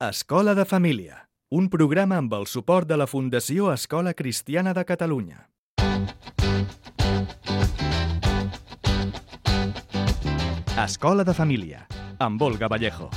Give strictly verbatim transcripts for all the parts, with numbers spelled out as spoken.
Escola de Família, un programa amb el suport de la Fundació Escola Cristiana de Catalunya. Escola de Família, amb Olga Vallejo.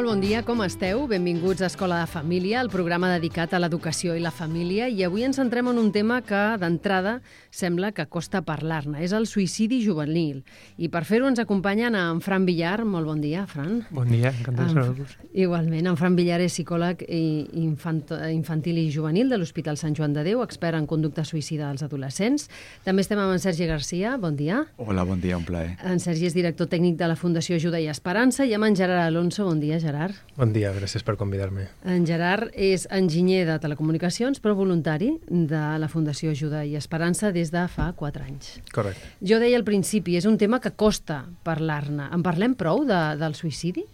Molt bon dia, com esteu? Benvinguts a Escola de Família, el programa dedicat a l'educació i la família, i avui ens centrem en un tema que, d'entrada, sembla que costa parlar-ne. És el suïcidi juvenil. I per fer-ho ens acompanyen en Fran Villar. Molt bon dia, Fran. Bon dia, encantat de saludar-vos. Igualment, en Fran Villar és psicòleg infant, infantil i juvenil de l'Hospital Sant Joan de Déu, expert en conducta suïcida dels adolescents. També estem amb en Sergi Garcia. Bon dia. Hola, bon dia, un plaer. En Sergi és director tècnic de la Fundació Ajuda i Esperança, i amb en Gerard Alonso. Bon dia, Gerard. Gerard. Bon dia, gràcies per convidar-me. En Gerard és enginyer de telecomunicacions, però voluntari de la Fundació Ajuda i Esperança des de fa quatre anys. Correcte. Jo deia al principi, és un tema que costa parlar-ne. En parlem prou de, del suïcidi?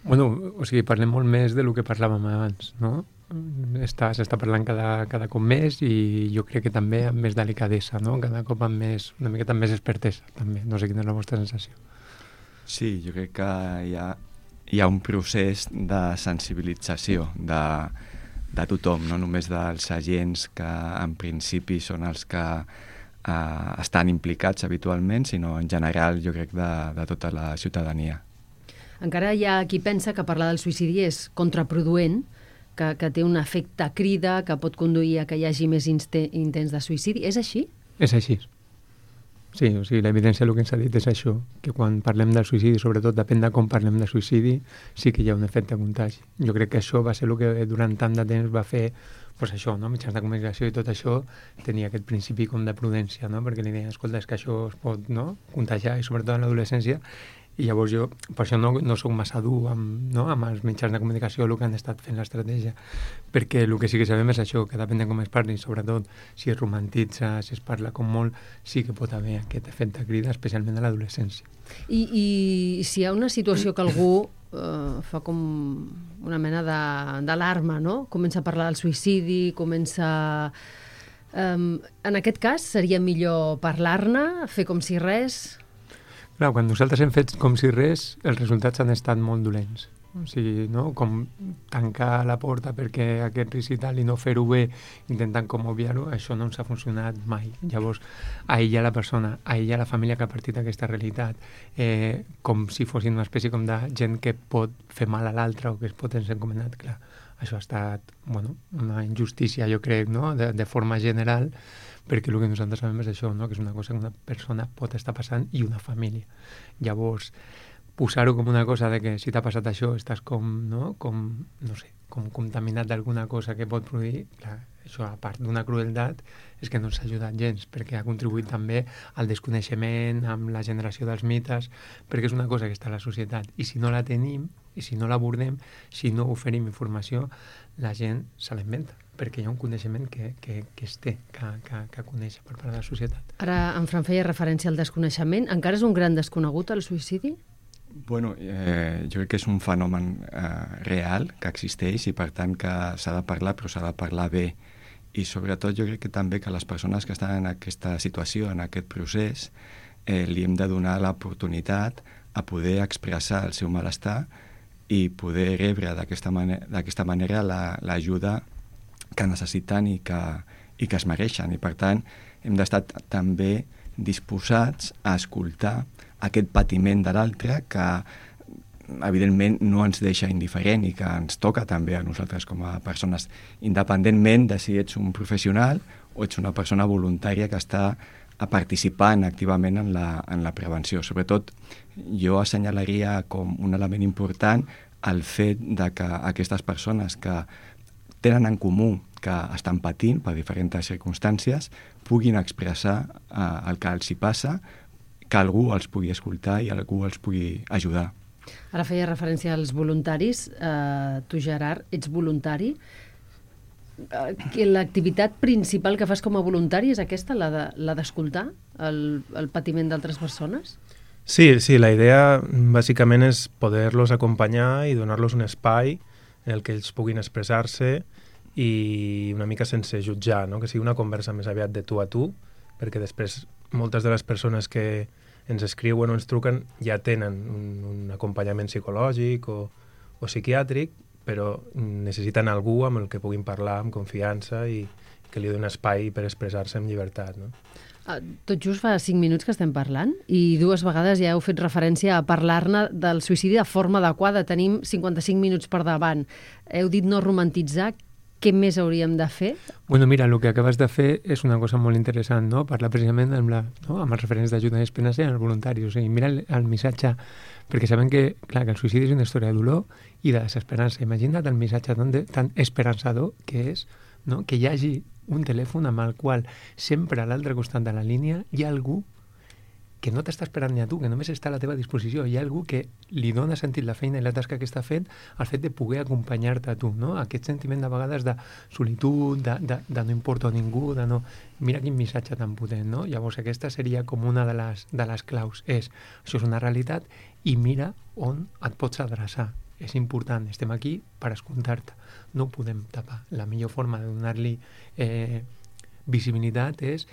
Bueno, o sigui, parlem molt més del que parlàvem abans, no? Està, s'està parlant cada, cada cop més i jo crec que també amb més delicadesa, no? Cada cop amb més, una miqueta amb més expertesa, també. No sé quina és la vostra sensació. Sí, jo crec que hi ha hi ha un procés de sensibilització de, de tothom, no només dels agents que en principi són els que eh, estan implicats habitualment, sinó en general jo crec de, de tota la ciutadania. Encara hi ha qui pensa que parlar del suïcidi és contraproduent, que, que té un efecte crida, que pot conduir a que hi hagi més intents de suïcidi. És així? És així. Sí, o sigui, l'evidència el que ens ha dit és això, que quan parlem del suïcidi, sobretot depèn de com parlem de suïcidi, sí que hi ha un efecte contagi. Jo crec que això va ser el que durant tant de temps va fer, pues això, no? Mitjans de comunicació i tot això tenia aquest principi com de prudència, no? Perquè li deien, escolta, és que això es pot, no? Contagiar, i sobretot en l'adolescència. I llavors jo, per això no, no soc massa dur amb, no? amb els mitjans de comunicació, el que han estat fent l'estratègia, perquè el que sí que sabem és això, que depèn de com es parli, sobretot si es romantitza, si es parla com molt, sí que pot haver aquest efecte crida, especialment a l'adolescència. I, I si hi ha una situació que algú eh, fa com una mena d'alarma, no? Comença a parlar del suïcidi, comença... Um, en aquest cas seria millor parlar-ne, fer com si res... Clar, quan nosaltres hem fet com si res, els resultats han estat molt dolents. O sigui, no? Com tancar la porta perquè aquest risc i tal i no fer-ho bé, intentant com obviar-ho, això no ens ha funcionat mai. Llavors, aïllar la persona, aïllar la família que ha partit d'aquesta realitat, eh, com si fossin una espècie com de gent que pot fer mal a l'altre o que es pot ens encomanat, clar. Això ha estat, bueno, una injustícia, jo crec, no? de, de forma general, perquè el que nosaltres sabem és això, no? Que és una cosa que una persona pot estar passant i una família. Llavors, posar-ho com una cosa de que si t'ha passat això estàs com, no? Com, no sé, com contaminat d'alguna cosa que pot produir, clar, això a part d'una crueltat és que no ens ha ajudat gens, perquè ha contribuït també al desconeixement, amb la generació dels mites, perquè és una cosa que està a la societat i si no la tenim, i si no l'abordem, si no oferim informació, la gent se l'inventa, perquè hi ha un coneixement que, que, que es té, que, que, que coneix per part de la societat. Ara, en Fran feia referència al desconeixement. Encara és un gran desconegut el suïcidi? Bueno, eh, jo crec que és un fenomen eh, real, que existeix i per tant que s'ha de parlar, però s'ha de parlar bé. I sobretot jo crec que també que les persones que estan en aquesta situació, en aquest procés, eh, li hem de donar l'oportunitat a poder expressar el seu malestar i poder rebre d'aquesta manera, d'aquesta manera l'ajuda la, que necessiten i que, i que es mereixen. I per tant hem d'estar també disposats a escoltar aquest patiment de l'altre que evidentment no ens deixa indiferent i que ens toca també a nosaltres com a persones, independentment de si ets un professional o ets una persona voluntària que està participant activament en la, en la prevenció. Sobretot jo assenyalaria com un element important el fet de que aquestes persones que tenen en comú que estan patint per diferents circumstàncies puguin expressar eh, el que els hi passa, que algú els pugui escoltar i algú els pugui ajudar. Ara feia referència als voluntaris. Eh, tu, Gerard, ets voluntari. Eh, que l'activitat principal que fas com a voluntari és aquesta, la de, la d'escoltar el, el patiment d'altres persones? Sí, sí, la idea bàsicament és poder-los acompanyar i donar-los un espai en el que ells puguin expressar-se i una mica sense jutjar, no? Que sigui una conversa més aviat de tu a tu, perquè després moltes de les persones que ens escriuen o ens truquen ja tenen un, un acompanyament psicològic o, o psiquiàtric, però necessiten algú amb el que puguin parlar amb confiança i que li doni espai per expressar-se amb llibertat, no? Tot just fa cinc minuts que estem parlant i dues vegades ja heu fet referència a parlar-ne del suïcidi de forma adequada. Tenim cinquanta-cinc minuts per davant. Heu dit no romantitzar. Què més hauríem de fer? Bueno, mira, el que acabes de fer és una cosa molt interessant, no? Parlar precisament amb, la, no? amb els referents d'ajuda i esperança i els voluntaris. O sigui, mira el, el missatge, perquè sabem que, clar, que el suïcidi és una història de dolor i de desesperança. Imagina't el missatge tan, de, tan esperançador que és, no? Que hi hagi un telèfon amb el qual sempre a l'altre costat de la línia hi ha algú que no t'està esperant ni a tu, que només està a la teva disposició. Hi ha algú que li dona sentit la feina i la tasca que està fent al fet de poder acompanyar-te a tu, no? Aquest sentiment de vegades de solitud, de, de, de no importa a ningú, de no... Mira quin missatge tan potent, no? Llavors aquesta seria com una de les, de les claus. És, això és una realitat i mira on et pots adreçar. És important, estem aquí per escoltar-te. No ho podem tapar. La millor forma de donar-li eh, visibilitat és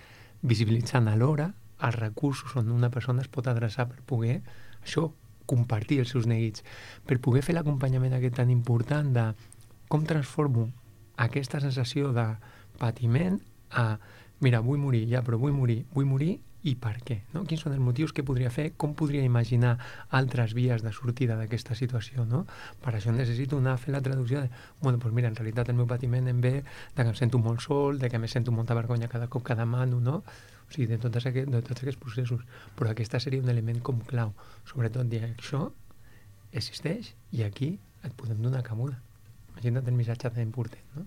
visibilitzant alhora els recursos on una persona es pot adreçar per poder, això, compartir els seus neguits, per poder fer l'acompanyament aquest tan important de com transformo aquesta sensació de patiment a, mira, vull morir, ja, però vull morir, vull morir i per què, no? Quins són els motius que podria fer, com podria imaginar altres vies de sortida d'aquesta situació, no? Per això necessito anar a fer la traducció de, bueno, doncs mira, en realitat el meu patiment em ve de que em sento molt sol, de que me sento molta vergonya cada cop que demano, no? O sigui, de tots aquests, de tots aquests processos. Però aquesta seria un element com clau. Sobretot dir, això existeix i aquí et podem donar cabuda. Imagina't el missatge tan important, no?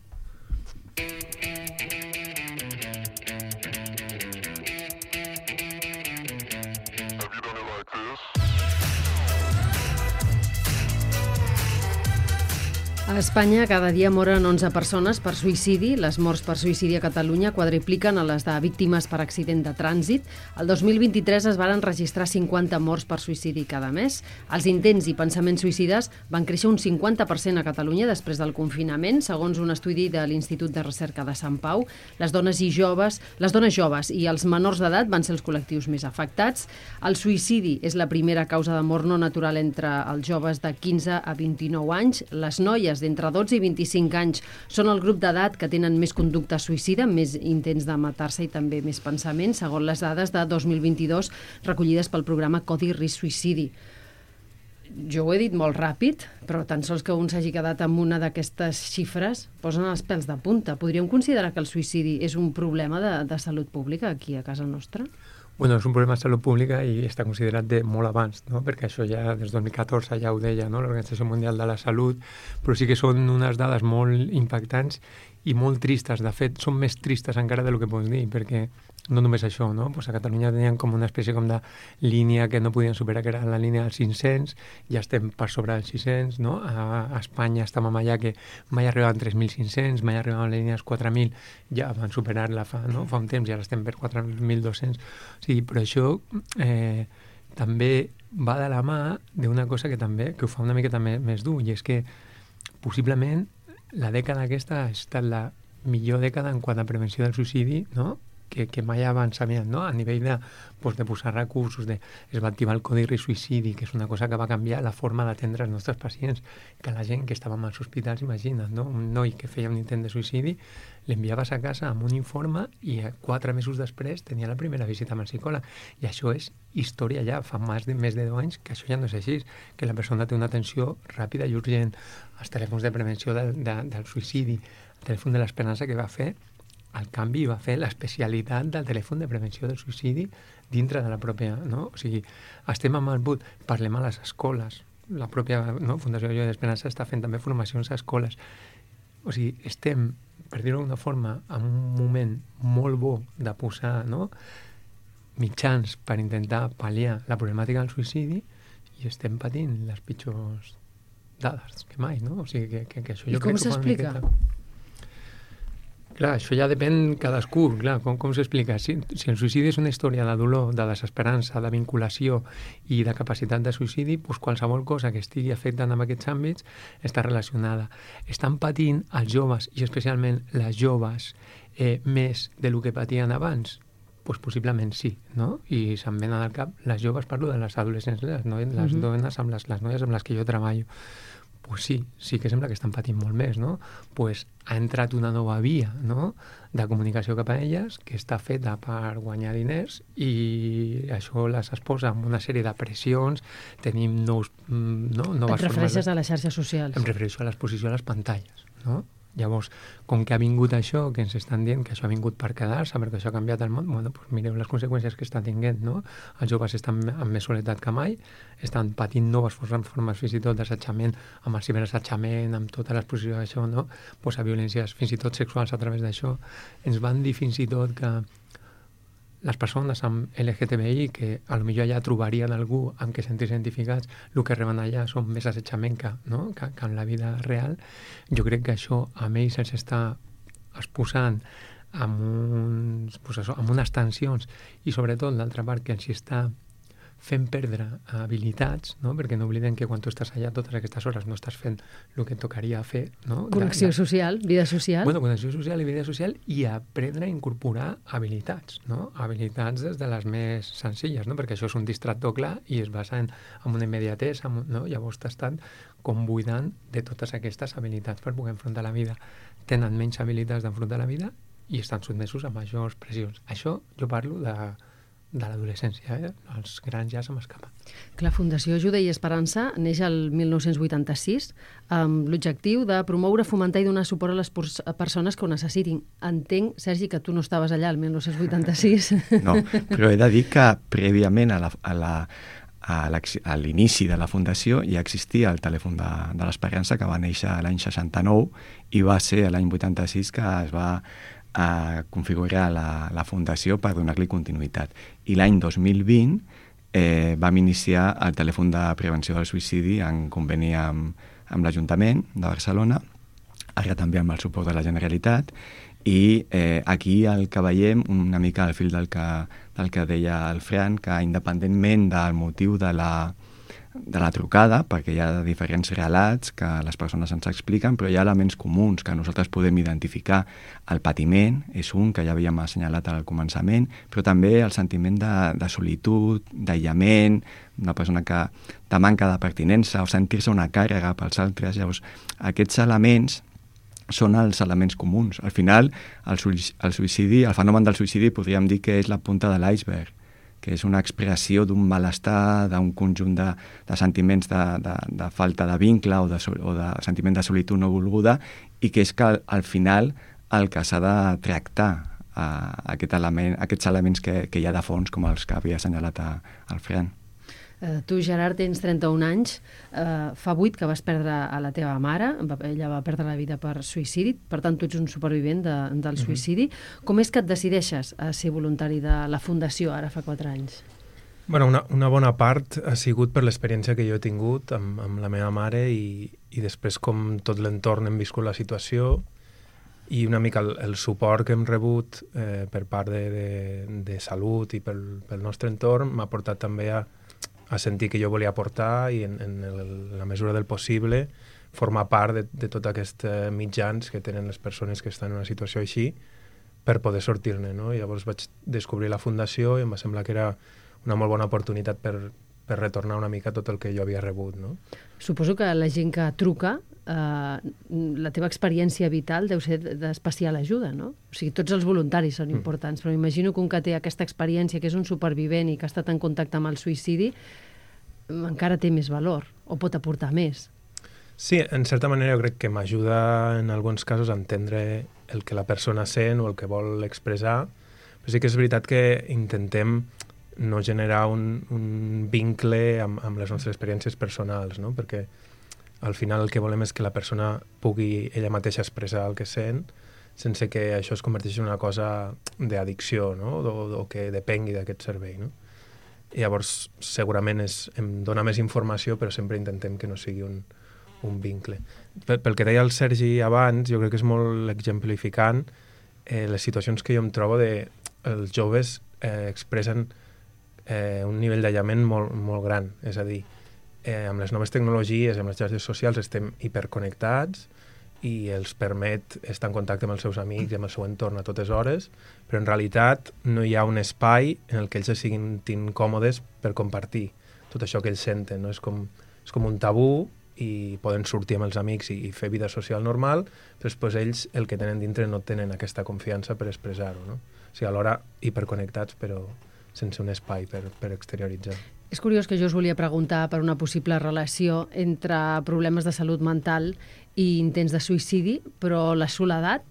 A Espanya cada dia moren onze persones per suïcidi. Les morts per suïcidi a Catalunya quadripliquen a les de víctimes per accident de trànsit. El dos mil vint-i-tres es varen registrar cinquanta morts per suïcidi cada mes. Els intents i pensaments suïcides van créixer un cinquanta per cent a Catalunya després del confinament, segons un estudi de l'Institut de Recerca de Sant Pau. Les dones i joves, les dones joves i els menors d'edat van ser els col·lectius més afectats. El suïcidi és la primera causa de mort no natural entre els joves de quinze a vint-i-nou anys. Les noies d'entre dotze i vint-i-cinc anys són el grup d'edat que tenen més conducta suïcida, més intents de matar-se i també més pensaments, segons les dades de dos mil vint-i-dos recollides pel programa Codi Risc Suïcidi. Jo ho he dit molt ràpid, però tan sols que un s'hagi quedat amb una d'aquestes xifres posen els pèls de punta. Podríem considerar que el suïcidi és un problema de, de salut pública aquí a casa nostra? Bueno, és un problema de salut pública i està considerat de molt abans, no? Perquè això ja des del dos mil catorze ja ho deia, no? L'Organització Mundial de la Salut, però sí que són unes dades molt impactants i molt tristes. De fet, són més tristes encara del que pots dir, perquè no només això, no? Pues a Catalunya tenien com una espècie com de línia que no podien superar, que era la línia dels cinc-cents, ja estem per sobre dels sis-cents, no? A, a Espanya estàvem allà que mai arribaven tres mil cinc-cents, mai arribaven a la línia dels quatre mil, ja van superar-la fa, no? fa un temps, ja estem per quatre mil dos-cents. O sigui, però això eh, també va de la mà d'una cosa que també, que ho fa una miqueta més, més dur, i és que possiblement la dècada aquesta ha estat la millor dècada en quant a prevenció del suïcidi, no? que, que mai abans s'havien, no? A nivell de, pues, de posar recursos, de, es va activar el Codi Risc Suïcidi, que és una cosa que va canviar la forma d'atendre els nostres pacients, que la gent que estava als hospitals, imagina't, no? Un noi que feia un intent de suïcidi, l'enviaves a casa amb un informe i quatre mesos després tenia la primera visita amb el psicòleg. I això és història ja, fa més de, més de deu anys que això ja no és així, que la persona té una atenció ràpida i urgent. Els telèfons de prevenció del, de, del suïcidi, el telèfon de l'esperança que va fer, el canvi va fer l'especialitat del telèfon de prevenció del suïcidi dintre de la pròpia, no? O sigui, estem amb el but, parlem a les escoles, la pròpia, no? Fundació Joia d'Esperança està fent també formacions a escoles. O sigui, estem, per dir-ho d'una forma, en un moment molt bo de posar, no? mitjans per intentar pal·liar la problemàtica del suïcidi i estem patint les pitjors dades que mai, no? O sigui, que, que, que això I jo com crec que s'explica? Clar, això ja depèn cadascú, clar, com, com s'explica. Si, si el suïcidi és una història de dolor, de desesperança, de vinculació i de capacitat de suïcidi, doncs qualsevol cosa que estigui afectant en aquests àmbits està relacionada. Estan patint els joves, i especialment les joves, eh, més de lo que patien abans? Doncs possiblement sí, no? I se'm venen al cap les joves, parlo de les adolescents, les, no? les mm-hmm. dones amb les, les noies amb les que jo treballo. Pues sí, sí que sembla que estan patint molt més, no? Pues ha entrat una nova via, no?, de comunicació cap a elles que està feta per guanyar diners i això les exposa amb una sèrie de pressions, tenim nous, no, noves formes... Et refereixes de... a les xarxes socials? Em refereixo a l'exposició a les pantalles, no? Llavors, com que ha vingut això, que ens estan dient que això ha vingut per quedar-se, perquè això ha canviat el món, bueno, doncs mireu les conseqüències que està tinguent, no? Els joves estan amb més soledat que mai, estan patint noves formes fins i tot d'assetjament, amb el ciberassetjament, amb tota l'exposició d'això, no? Pues a violències fins i tot sexuals a través d'això. Ens van dir fins i tot que les persones amb L G T B I, que a lo millor allà trobarien algú amb què sentir-se identificats, el que reben allà són més assetjament que, no? que, que en la vida real. Jo crec que això a ells els està exposant amb, uns, pues això, amb unes tensions i sobretot l'altra part que els està fent perdre habilitats, no? Perquè no oblidem que quan tu estàs allà totes aquestes hores no estàs fent el que et tocaria fer, no? Connexió de, de... social, vida social. Bueno, connexió social i vida social i aprendre a incorporar habilitats, no? Habilitats des de les més senzilles, no? Perquè això és un distractor clar i es basa en, en una immediatesa, no? Llavors t'estan com buidant de totes aquestes habilitats per poder enfrontar la vida. Tenen menys habilitats d'enfrontar la vida i estan sotmesos a majors pressions. Això jo parlo de de l'adolescència, eh? Els grans ja se m'escapen. La Fundació Ajuda i Esperança neix el mil nou-cents vuitanta-sis amb l'objectiu de promoure, fomentar i donar suport a les persones que ho necessitin. Entenc, Sergi, que tu no estaves allà el mil nou-cents vuitanta-sis. No, però he de dir que prèviament a la, a la a l'inici de la Fundació ja existia el telèfon de, de l'Esperança, que va néixer l'any seixanta-nou i va ser l'any vuitanta-sis que es va a configurar la, la Fundació per donar-li continuïtat. I l'any dos mil vint eh, vam iniciar el telèfon de prevenció del suïcidi en conveni amb, amb l'Ajuntament de Barcelona, ara també amb el suport de la Generalitat, i eh, aquí el que veiem, una mica al fil del que, del que deia el Fran, que independentment del motiu de la de la trucada, perquè hi ha diferents relats que les persones ens expliquen, però hi ha elements comuns que nosaltres podem identificar. El patiment és un que ja havíem assenyalat al començament, però també el sentiment de, de solitud, d'aïllament, una persona que de manca de pertinença o sentir-se una càrrega pels altres. Llavors, aquests elements són els elements comuns. Al final, el, el suïcidi, el fenomen del suïcidi podríem dir que és la punta de l'iceberg, que és una expressió d'un malestar, d'un conjunt de, de sentiments de, de, de falta de vincle o de, o de sentiment de solitud no volguda, i que és que al, al final el que s'ha de tractar uh, aquest element, aquests elements que, que hi ha de fons, com els que havia assenyalat a, el Fran. Uh, tu, Gerard, tens trenta-un anys, uh, fa vuit que vas perdre a la teva mare, ella va perdre la vida per suïcidi, per tant tu ets un supervivent de, del suïcidi. Mm-hmm. Com és que et decideixes a ser voluntari de la Fundació ara fa quatre anys? Bueno, una, una bona part ha sigut per l'experiència que jo he tingut amb, amb la meva mare i, i després com tot l'entorn hem viscut la situació i una mica el, el suport que hem rebut eh, per part de, de, de salut i pel, pel nostre entorn m'ha portat també a a sentir que jo volia aportar i en, en, el, en la mesura del possible formar part de, de tots aquests eh, mitjans que tenen les persones que estan en una situació així per poder sortir-ne, no? I llavors vaig descobrir la Fundació i em va semblar que era una molt bona oportunitat per, per retornar una mica tot el que jo havia rebut, no? Suposo que la gent que truca, eh, la teva experiència vital deu ser d'especial ajuda, no? O sigui, tots els voluntaris són importants, però imagino que un que té aquesta experiència, que és un supervivent i que ha estat en contacte amb el suïcidi, encara té més valor, o pot aportar més. Sí, en certa manera jo crec que m'ajuda en alguns casos a entendre el que la persona sent o el que vol expressar, però sí que és veritat que intentem no generar un, un vincle amb, amb les nostres experiències personals, no? Perquè al final el que volem és que la persona pugui ella mateixa expressar el que sent sense que això es converteixi en una cosa d'addicció, no? O, o que depengui d'aquest servei, no? I llavors segurament és, em dona més informació, però sempre intentem que no sigui un, un vincle. Pel, pel que deia el Sergi abans, jo crec que és molt exemplificant eh, les situacions que jo em trobo de els joves eh, expressen eh, un nivell d'aïllament molt, molt gran. És a dir, eh, amb les noves tecnologies, amb les xarxes socials, estem hiperconnectats i els permet estar en contacte amb els seus amics i amb el seu entorn a totes hores, però en realitat no hi ha un espai en el que ells se siguin còmodes per compartir tot això que ells senten. No? És, com, és com un tabú i poden sortir amb els amics i, i fer vida social normal, però després ells el que tenen dintre no tenen aquesta confiança per expressar-ho. No? O sigui, alhora hiperconnectats però sense un espai per, per exterioritzar. És curiós que jo us volia preguntar per una possible relació entre problemes de salut mental i intents de suïcidi, però la soledat,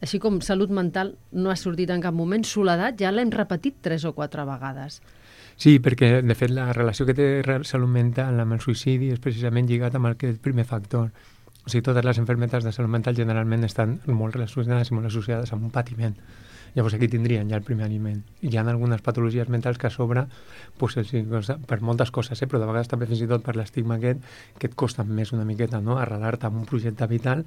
així com salut mental no ha sortit en cap moment, soledat ja l'hem repetit tres o quatre vegades. Sí, perquè de fet la relació que té salut mental amb el suïcidi és precisament lligat amb el primer factor. O sigui, totes les malalties de salut mental generalment estan molt relacionades i molt associades amb un patiment. Llavors aquí tindrien ja el primer aliment. Hi ha algunes patologies mentals que a sobre, pues, per moltes coses, eh, però de vegades també fins i tot per l'estigma aquest, que et costa més una miqueta, no?, arrelar-te amb un projecte vital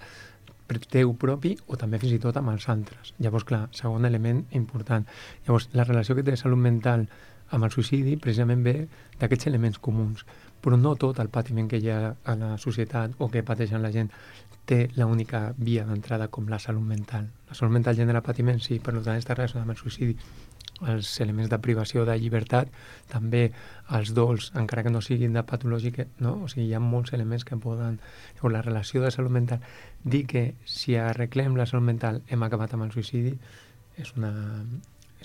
teu propi o també fins i tot amb els altres. Llavors, clar, segon element important. Llavors, la relació que té salut mental amb el suïcidi precisament ve d'aquests elements comuns, però no tot el patiment que hi ha a la societat o que pateixen la gent té l'única via d'entrada com la salut mental. La salut mental genera patiment, sí, per tant està relacionada amb el suïcidi. Els elements de privació de llibertat, també els dols, encara que no siguin de patològic, no? O sigui, hi ha molts elements que poden... O la relació de salut mental. Dir que si arreglem la salut mental hem acabat amb el suïcidi és una...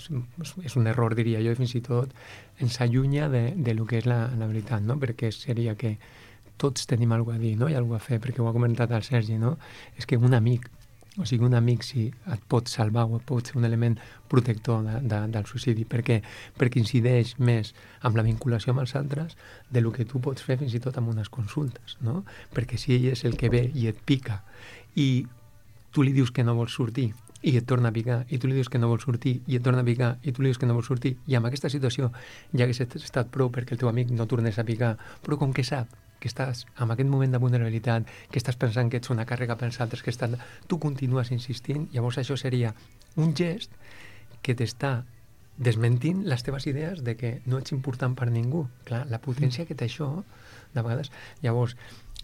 És un, és un error, diria jo, i fins i tot ens allunya de, de lo que és la, la veritat, no? Perquè seria que tots tenim alguna a dir, no? I alguna a fer, perquè ho ha comentat el Sergi, no? És que un amic, o sigui, un amic si et pot salvar o et pot ser un element protector de, de, del suïcidi, perquè, perquè incideix més amb la vinculació amb els altres de lo que tu pots fer fins i tot amb unes consultes, no? Perquè si ell és el que ve i et pica i tu li dius que no vols sortir i et torna a picar, i tu li dius que no vols sortir i et torna a picar, i tu li dius que no vols sortir, i amb aquesta situació ja hagués estat prou perquè el teu amic no tornés a picar, però com que sap que estàs en aquest moment de vulnerabilitat, que estàs pensant que ets una càrrega pels altres, que estan... tu continues insistint, llavors això seria un gest que t'està desmentint les teves idees de que no ets important per ningú. Clar, la potència que té això, de vegades... Llavors,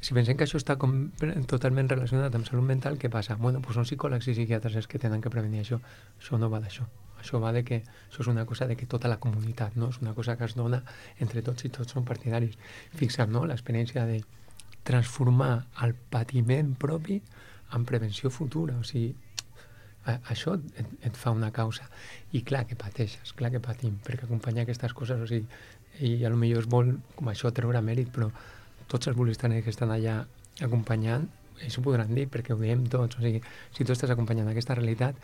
si pensem que això està com totalment relacionat amb salut mental, què passa? Bueno, doncs són psicòlegs i psiquiatres els que tenen que prevenir això. Això no va d'això. Això va de que això és una cosa de que tota la comunitat, no? És una cosa que es dona entre tots i tots són partidaris. Fixa't, no?, l'experiència de transformar el patiment propi en prevenció futura. O sigui, a, això et, et fa una causa. I clar que pateixes, clar que patim, perquè acompanyar aquestes coses, o sigui, i a lo millor es vol com això treure mèrit, però tots els voluntarios que estan allà acompanyant, ells ho podran dir, perquè ho diem tots. O sigui, si tu estàs acompanyant aquesta realitat,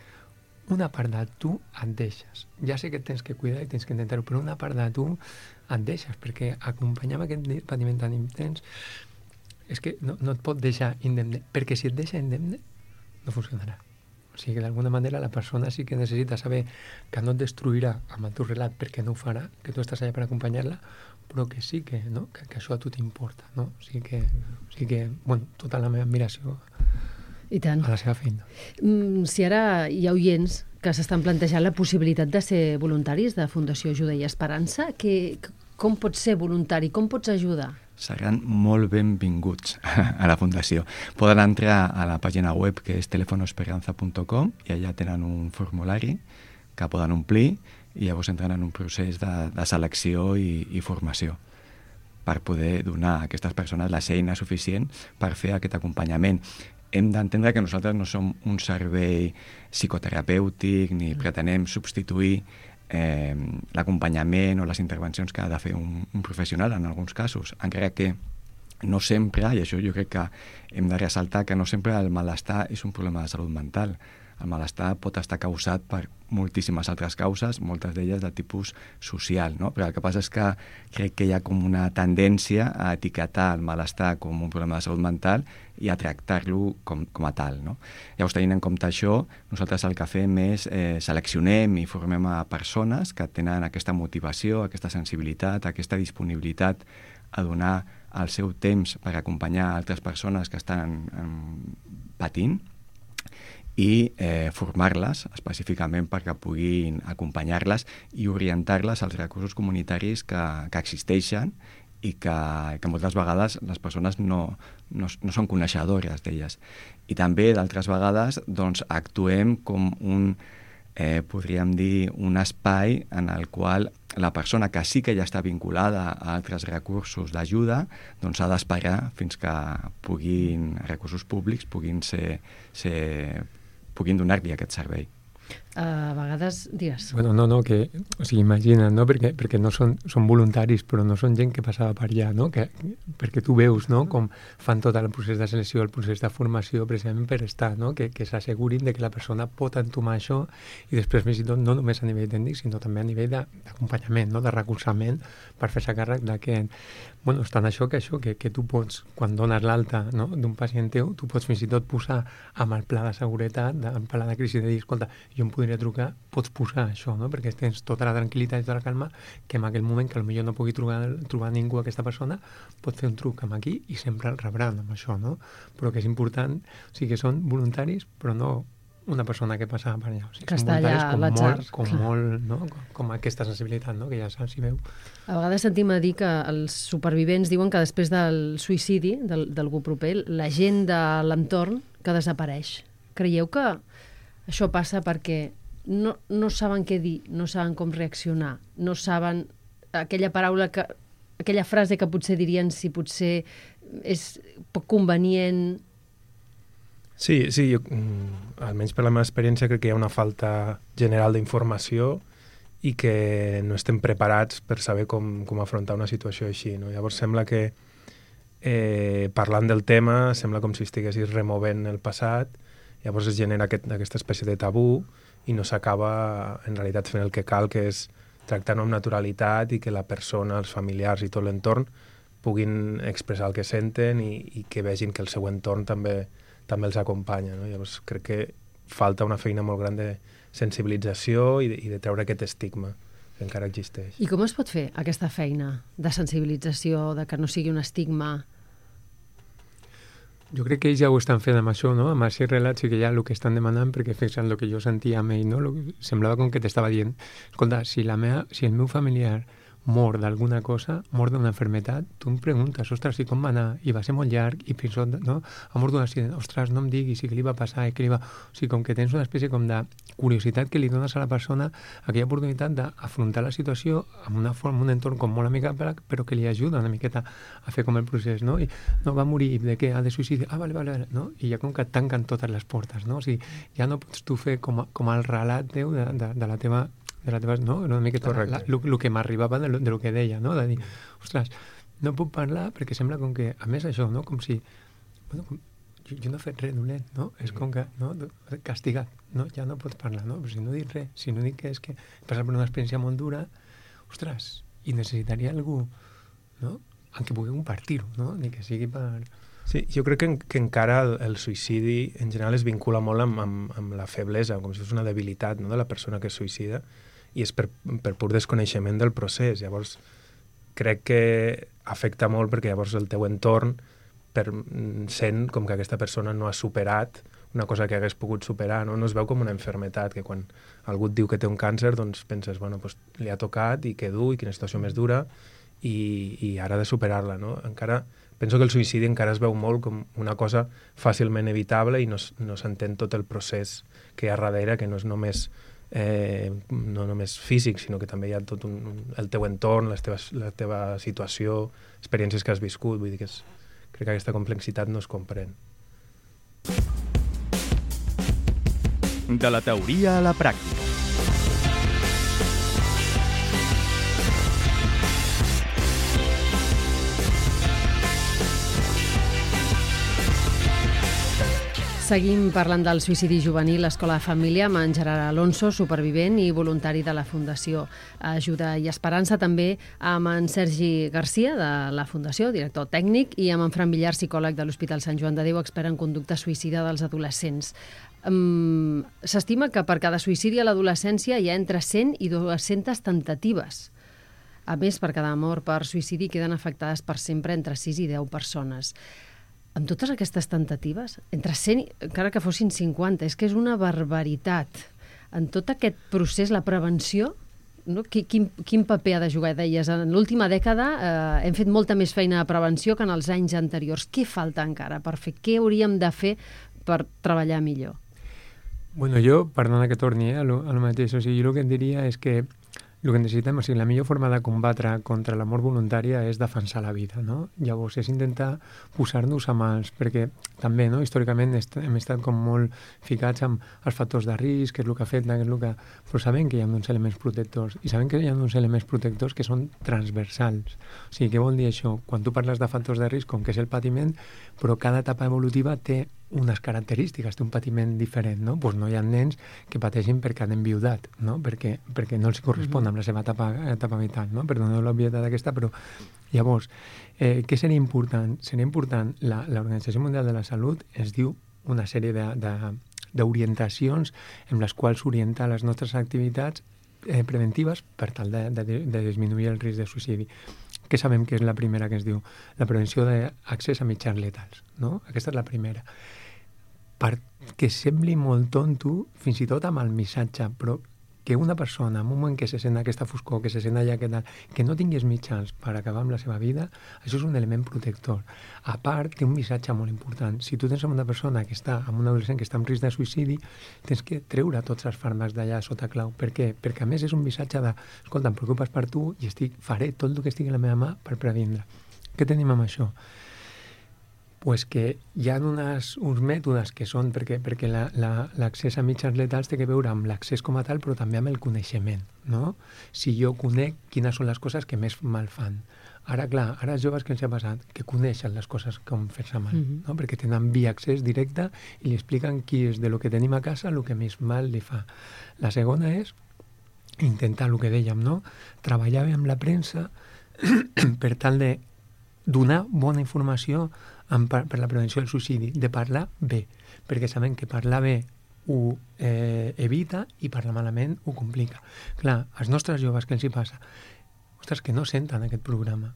una part de tu et deixes. Ja sé que et tens que cuidar i tens que intentar-ho, però una part de tu et deixes, perquè acompanyar amb aquest patiment tan intens és que no, no et pot deixar indemne, perquè si et deixa indemne no funcionarà. O sigui que d'alguna manera la persona sí que necessita saber que no et destruirà amb el teu relat perquè no ho farà, que tu estàs allà per acompanyar-la, però que sí que, no? que, que això a tu t'importa. No? O sigui que, o sigui que bueno, tota la meva admiració I tant. a la seva feina. Mm, si ara hi ha oients que s'estan plantejant la possibilitat de ser voluntaris de Fundació Ajuda i Esperança, que, com pots ser voluntari? Com pots ajudar? Seran molt benvinguts a la Fundació. Poden entrar a la pàgina web que és telefonoesperanza punt com i allà tenen un formulari que poden omplir i llavors entren en un procés de, de selecció i, i formació per poder donar a aquestes persones les eines suficients per fer aquest acompanyament. Hem d'entendre que nosaltres no som un servei psicoterapèutic ni pretenem substituir eh, l'acompanyament o les intervencions que ha de fer un, un professional en alguns casos, encara que no sempre, i això jo crec que hem de ressaltar, que no sempre el malestar és un problema de salut mental. El malestar pot estar causat per moltíssimes altres causes, moltes d'elles de tipus social, no? Però el que passa és que crec que hi ha com una tendència a etiquetar el malestar com un problema de salut mental i a tractar-lo com, com a tal, no? Llavors, tenint en compte això, nosaltres el que fem és eh, seleccionem i formem a persones que tenen aquesta motivació, aquesta sensibilitat, aquesta disponibilitat a donar el seu temps per acompanyar altres persones que estan eh, patint, i eh, formar-les específicament perquè puguin acompanyar-les i orientar-les als recursos comunitaris que, que existeixen i que, que moltes vegades les persones no, no, no són coneixedores d'elles. I també, d'altres vegades, doncs, actuem com un, eh, podríem dir, un espai en el qual la persona que sí que ja està vinculada a altres recursos d'ajuda doncs ha d'esperar fins que puguin, recursos públics puguin ser, ser puguin donar-li aquest servei. A vegades, digues. Bueno, no, no, que, o sigui, imagina't, no?, perquè, perquè no són, són voluntaris, però no són gent que passava per allà, no?, que, perquè tu veus, no?, com fan tot el procés de selecció, el procés de formació, precisament per estar, no?, que, que s'assegurin de que la persona pot entomar això i després, més i tot, no només a nivell tècnic, sinó també a nivell d'acompanyament, no?, de recolzament per fer-se càrrec de que, bueno, és tant això que això, que, que tu pots, quan dones l'alta, no?, d'un pacient teu, tu pots fins i tot posar amb el pla de seguretat, amb el pla de crisi, de dir, escolta, jo em podria trucar, pots posar això, no?, perquè tens tota la tranquil·litat i tota la calma que en aquell moment que potser no pugui trobar, trobar ningú aquesta persona, pot fer un truc amb aquí i sempre el rebran amb això, no? Però que és important, o sigui que són voluntaris, però no una persona que passava per allà. O sigui, que està allà a l'atzar. Com molt, no? Com, com aquesta sensibilitat, no?, que ja saps si veu. A vegades sentim a dir que els supervivents diuen que després del suïcidi d'algú proper, la gent de l'entorn que desapareix. Creieu que això passa perquè no, no saben què dir, no saben com reaccionar, no saben aquella paraula que, aquella frase que potser dirien si potser és poc convenient? Sí, sí, jo, almenys per la meva experiència, crec que hi ha una falta general d'informació i que no estem preparats per saber com, com afrontar una situació així, no? Llavors sembla que eh, parlant del tema sembla com si estiguessis removent el passat, llavors es genera aquest, aquesta espècie de tabú i no s'acaba en realitat fent el que cal, que és tractar-ho amb naturalitat i que la persona, els familiars i tot l'entorn puguin expressar el que senten i, i que vegin que el seu entorn també, també els acompanya, no? Llavors crec que falta una feina molt gran de sensibilització i de, i de treure aquest estigma que encara existeix. I com es pot fer aquesta feina de sensibilització, de que no sigui un estigma? Jo crec que ells ja ho estan fent amb això, no? Amb aquests relats sí que ja el que estan demanant, perquè fixant el que jo sentia amb ell, no? Lo que semblava com que t'estava dient, escolta, si, la meva, si el meu familiar mor d'alguna cosa, mor d'una enfermetat, tu em preguntes, ostres, i com va anar? I va ser molt llarg, i fins on, no? Ha mort d'un accident, ostres, no em diguis, i què li va passar, i què li va... O sigui, com que tens una espècie com de curiositat que li dones a la persona, aquella oportunitat d'afrontar la situació amb una forma, un entorn com molt amigable, però que li ajuda una miqueta a fer com el procés, no? I no va morir, de què? Ah, de suïcidi, ah, vale, vale, no? I ja com que et tanquen totes les portes, no? O sigui, ja no pots tu fer com, a, com el relat teu de, de, de la teva de la teva, no? Una miqueta el que m'arribava de, de lo que deia, no? De dir, ostres, no puc parlar perquè sembla com que, a més això, no? Com si, bueno, com, jo, jo no he fet res dolent, no? És com que, no? Castigat, no? Ja no pots parlar, no? Però si no dic res, si no dic que és que he passat per una experiència molt dura, ostres, i necessitaria algú, no? En què pugui compartir-ho, no? Ni que sigui per... Sí, jo crec que, en, que encara el, el suïcidi en general es vincula molt amb, amb, amb la feblesa, com si fos una debilitat, no?, de la persona que es suïcida, i és per, per pur desconeixement del procés. Llavors, crec que afecta molt perquè llavors el teu entorn per, sent com que aquesta persona no ha superat una cosa que hagués pogut superar, no? No es veu com una enfermetat, que quan algú et diu que té un càncer, doncs penses, bueno, pues, li ha tocat i que dur, i quina situació més dura, i, i ara ha de superar-la, no? Encara, penso que el suïcidi encara es veu molt com una cosa fàcilment evitable i no, no s'entén tot el procés que hi ha darrere, que no és només Eh, no només físic, sinó que també hi ha tot un, un, el teu entorn, les teves, la teva situació, experiències que has viscut. Vull dir que és, crec que aquesta complexitat no es comprèn. De la teoria a la pràctica. Seguim parlant del suïcidi juvenil a l'Escola de Família amb en Gerard Alonso, supervivent i voluntari de la Fundació Ajuda i Esperança, també amb en Sergi Garcia de la Fundació, director tècnic, i amb en Fran Villar, psicòleg de l'Hospital Sant Joan de Déu, expert en conducta suïcida dels adolescents. Um, S'estima que per cada suïcidi a l'adolescència hi ha entre cent i dues-centes temptatives. A més, per cada mort per suïcidi queden afectades per sempre entre sis i deu persones. amb totes aquestes temptatives, entre cent, encara que fossin cinquanta, és que és una barbaritat. En tot aquest procés, la prevenció, no? Quin, quin paper ha de jugar? Deies, en l'última dècada eh, hem fet molta més feina de prevenció que en els anys anteriors. Què falta encara per fer? Què hauríem de fer per treballar millor? Bueno, jo, perdona que torni eh, a lo, a lo mateix, o sigui, jo el que et diria és que el que necessitem, o sigui, la millor forma de combatre contra la mort voluntària és defensar la vida, no? Llavors, és intentar posar-nos a mans, perquè també, no?, històricament est hem estat com molt ficats amb els factors de risc, què és el que ha fet, què és el que... Però sabem que hi ha uns elements protectors, i sabem que hi ha uns elements protectors que són transversals. O sigui, què vol dir això? Quan tu parles de factors de risc, com que és el patiment, però cada etapa evolutiva té unes característiques, té un patiment diferent, no? Pues no hi ha nens que pateixin perquè han enviudat, no? Perquè, perquè no els correspon amb la seva etapa, etapa vital, no? Perdoneu l'obvietat aquesta, però llavors, eh, què seria important? Seria important, la, l'Organització Mundial de la Salut ens diu una sèrie de, de, d'orientacions en les quals orienta les nostres activitats eh, preventives per tal de, de, de disminuir el risc de suïcidi. Què sabem que és la primera que es diu? La prevenció d'accés a mitjans letals, no? Aquesta és la primera. Perquè sembli molt tonto, fins i tot amb el missatge, però que una persona, en un moment que se sent aquesta foscor, que se sent allà, que, tal, que no tingués mitjans per acabar amb la seva vida, això és un element protector. A part, té un missatge molt important. Si tu tens una persona que està, amb un adolescent que està en risc de suïcidi, tens que treure tots els fàrmacs d'allà sota clau. Per què? Perquè a més és un missatge de, escolta, em preocupes per tu i estic, faré tot el que estigui a la meva mà per previndre. Què tenim amb això? Pues que hi ha unes, uns mètodes que són, perquè, perquè la, la, l'accés a mitjans letals té que veure amb l'accés com a tal, però també amb el coneixement, no? Si jo conec quines són les coses que més mal fan. Ara, clar, ara els joves que els ha passat, que coneixen les coses com fer-se mal, mm-hmm. no? Perquè tenen via accés directe i li expliquen qui és de lo que tenim a casa el que més mal li fa. La segona és intentar el que dèiem, no? Treballar bé amb la premsa per tal de donar bona informació en, per, per la prevenció del suïcidi, de parlar bé, perquè sabem que parlar bé ho eh, evita i parlar malament ho complica. Clar, als nostres joves què els hi passa? Ostres, que no senten aquest programa,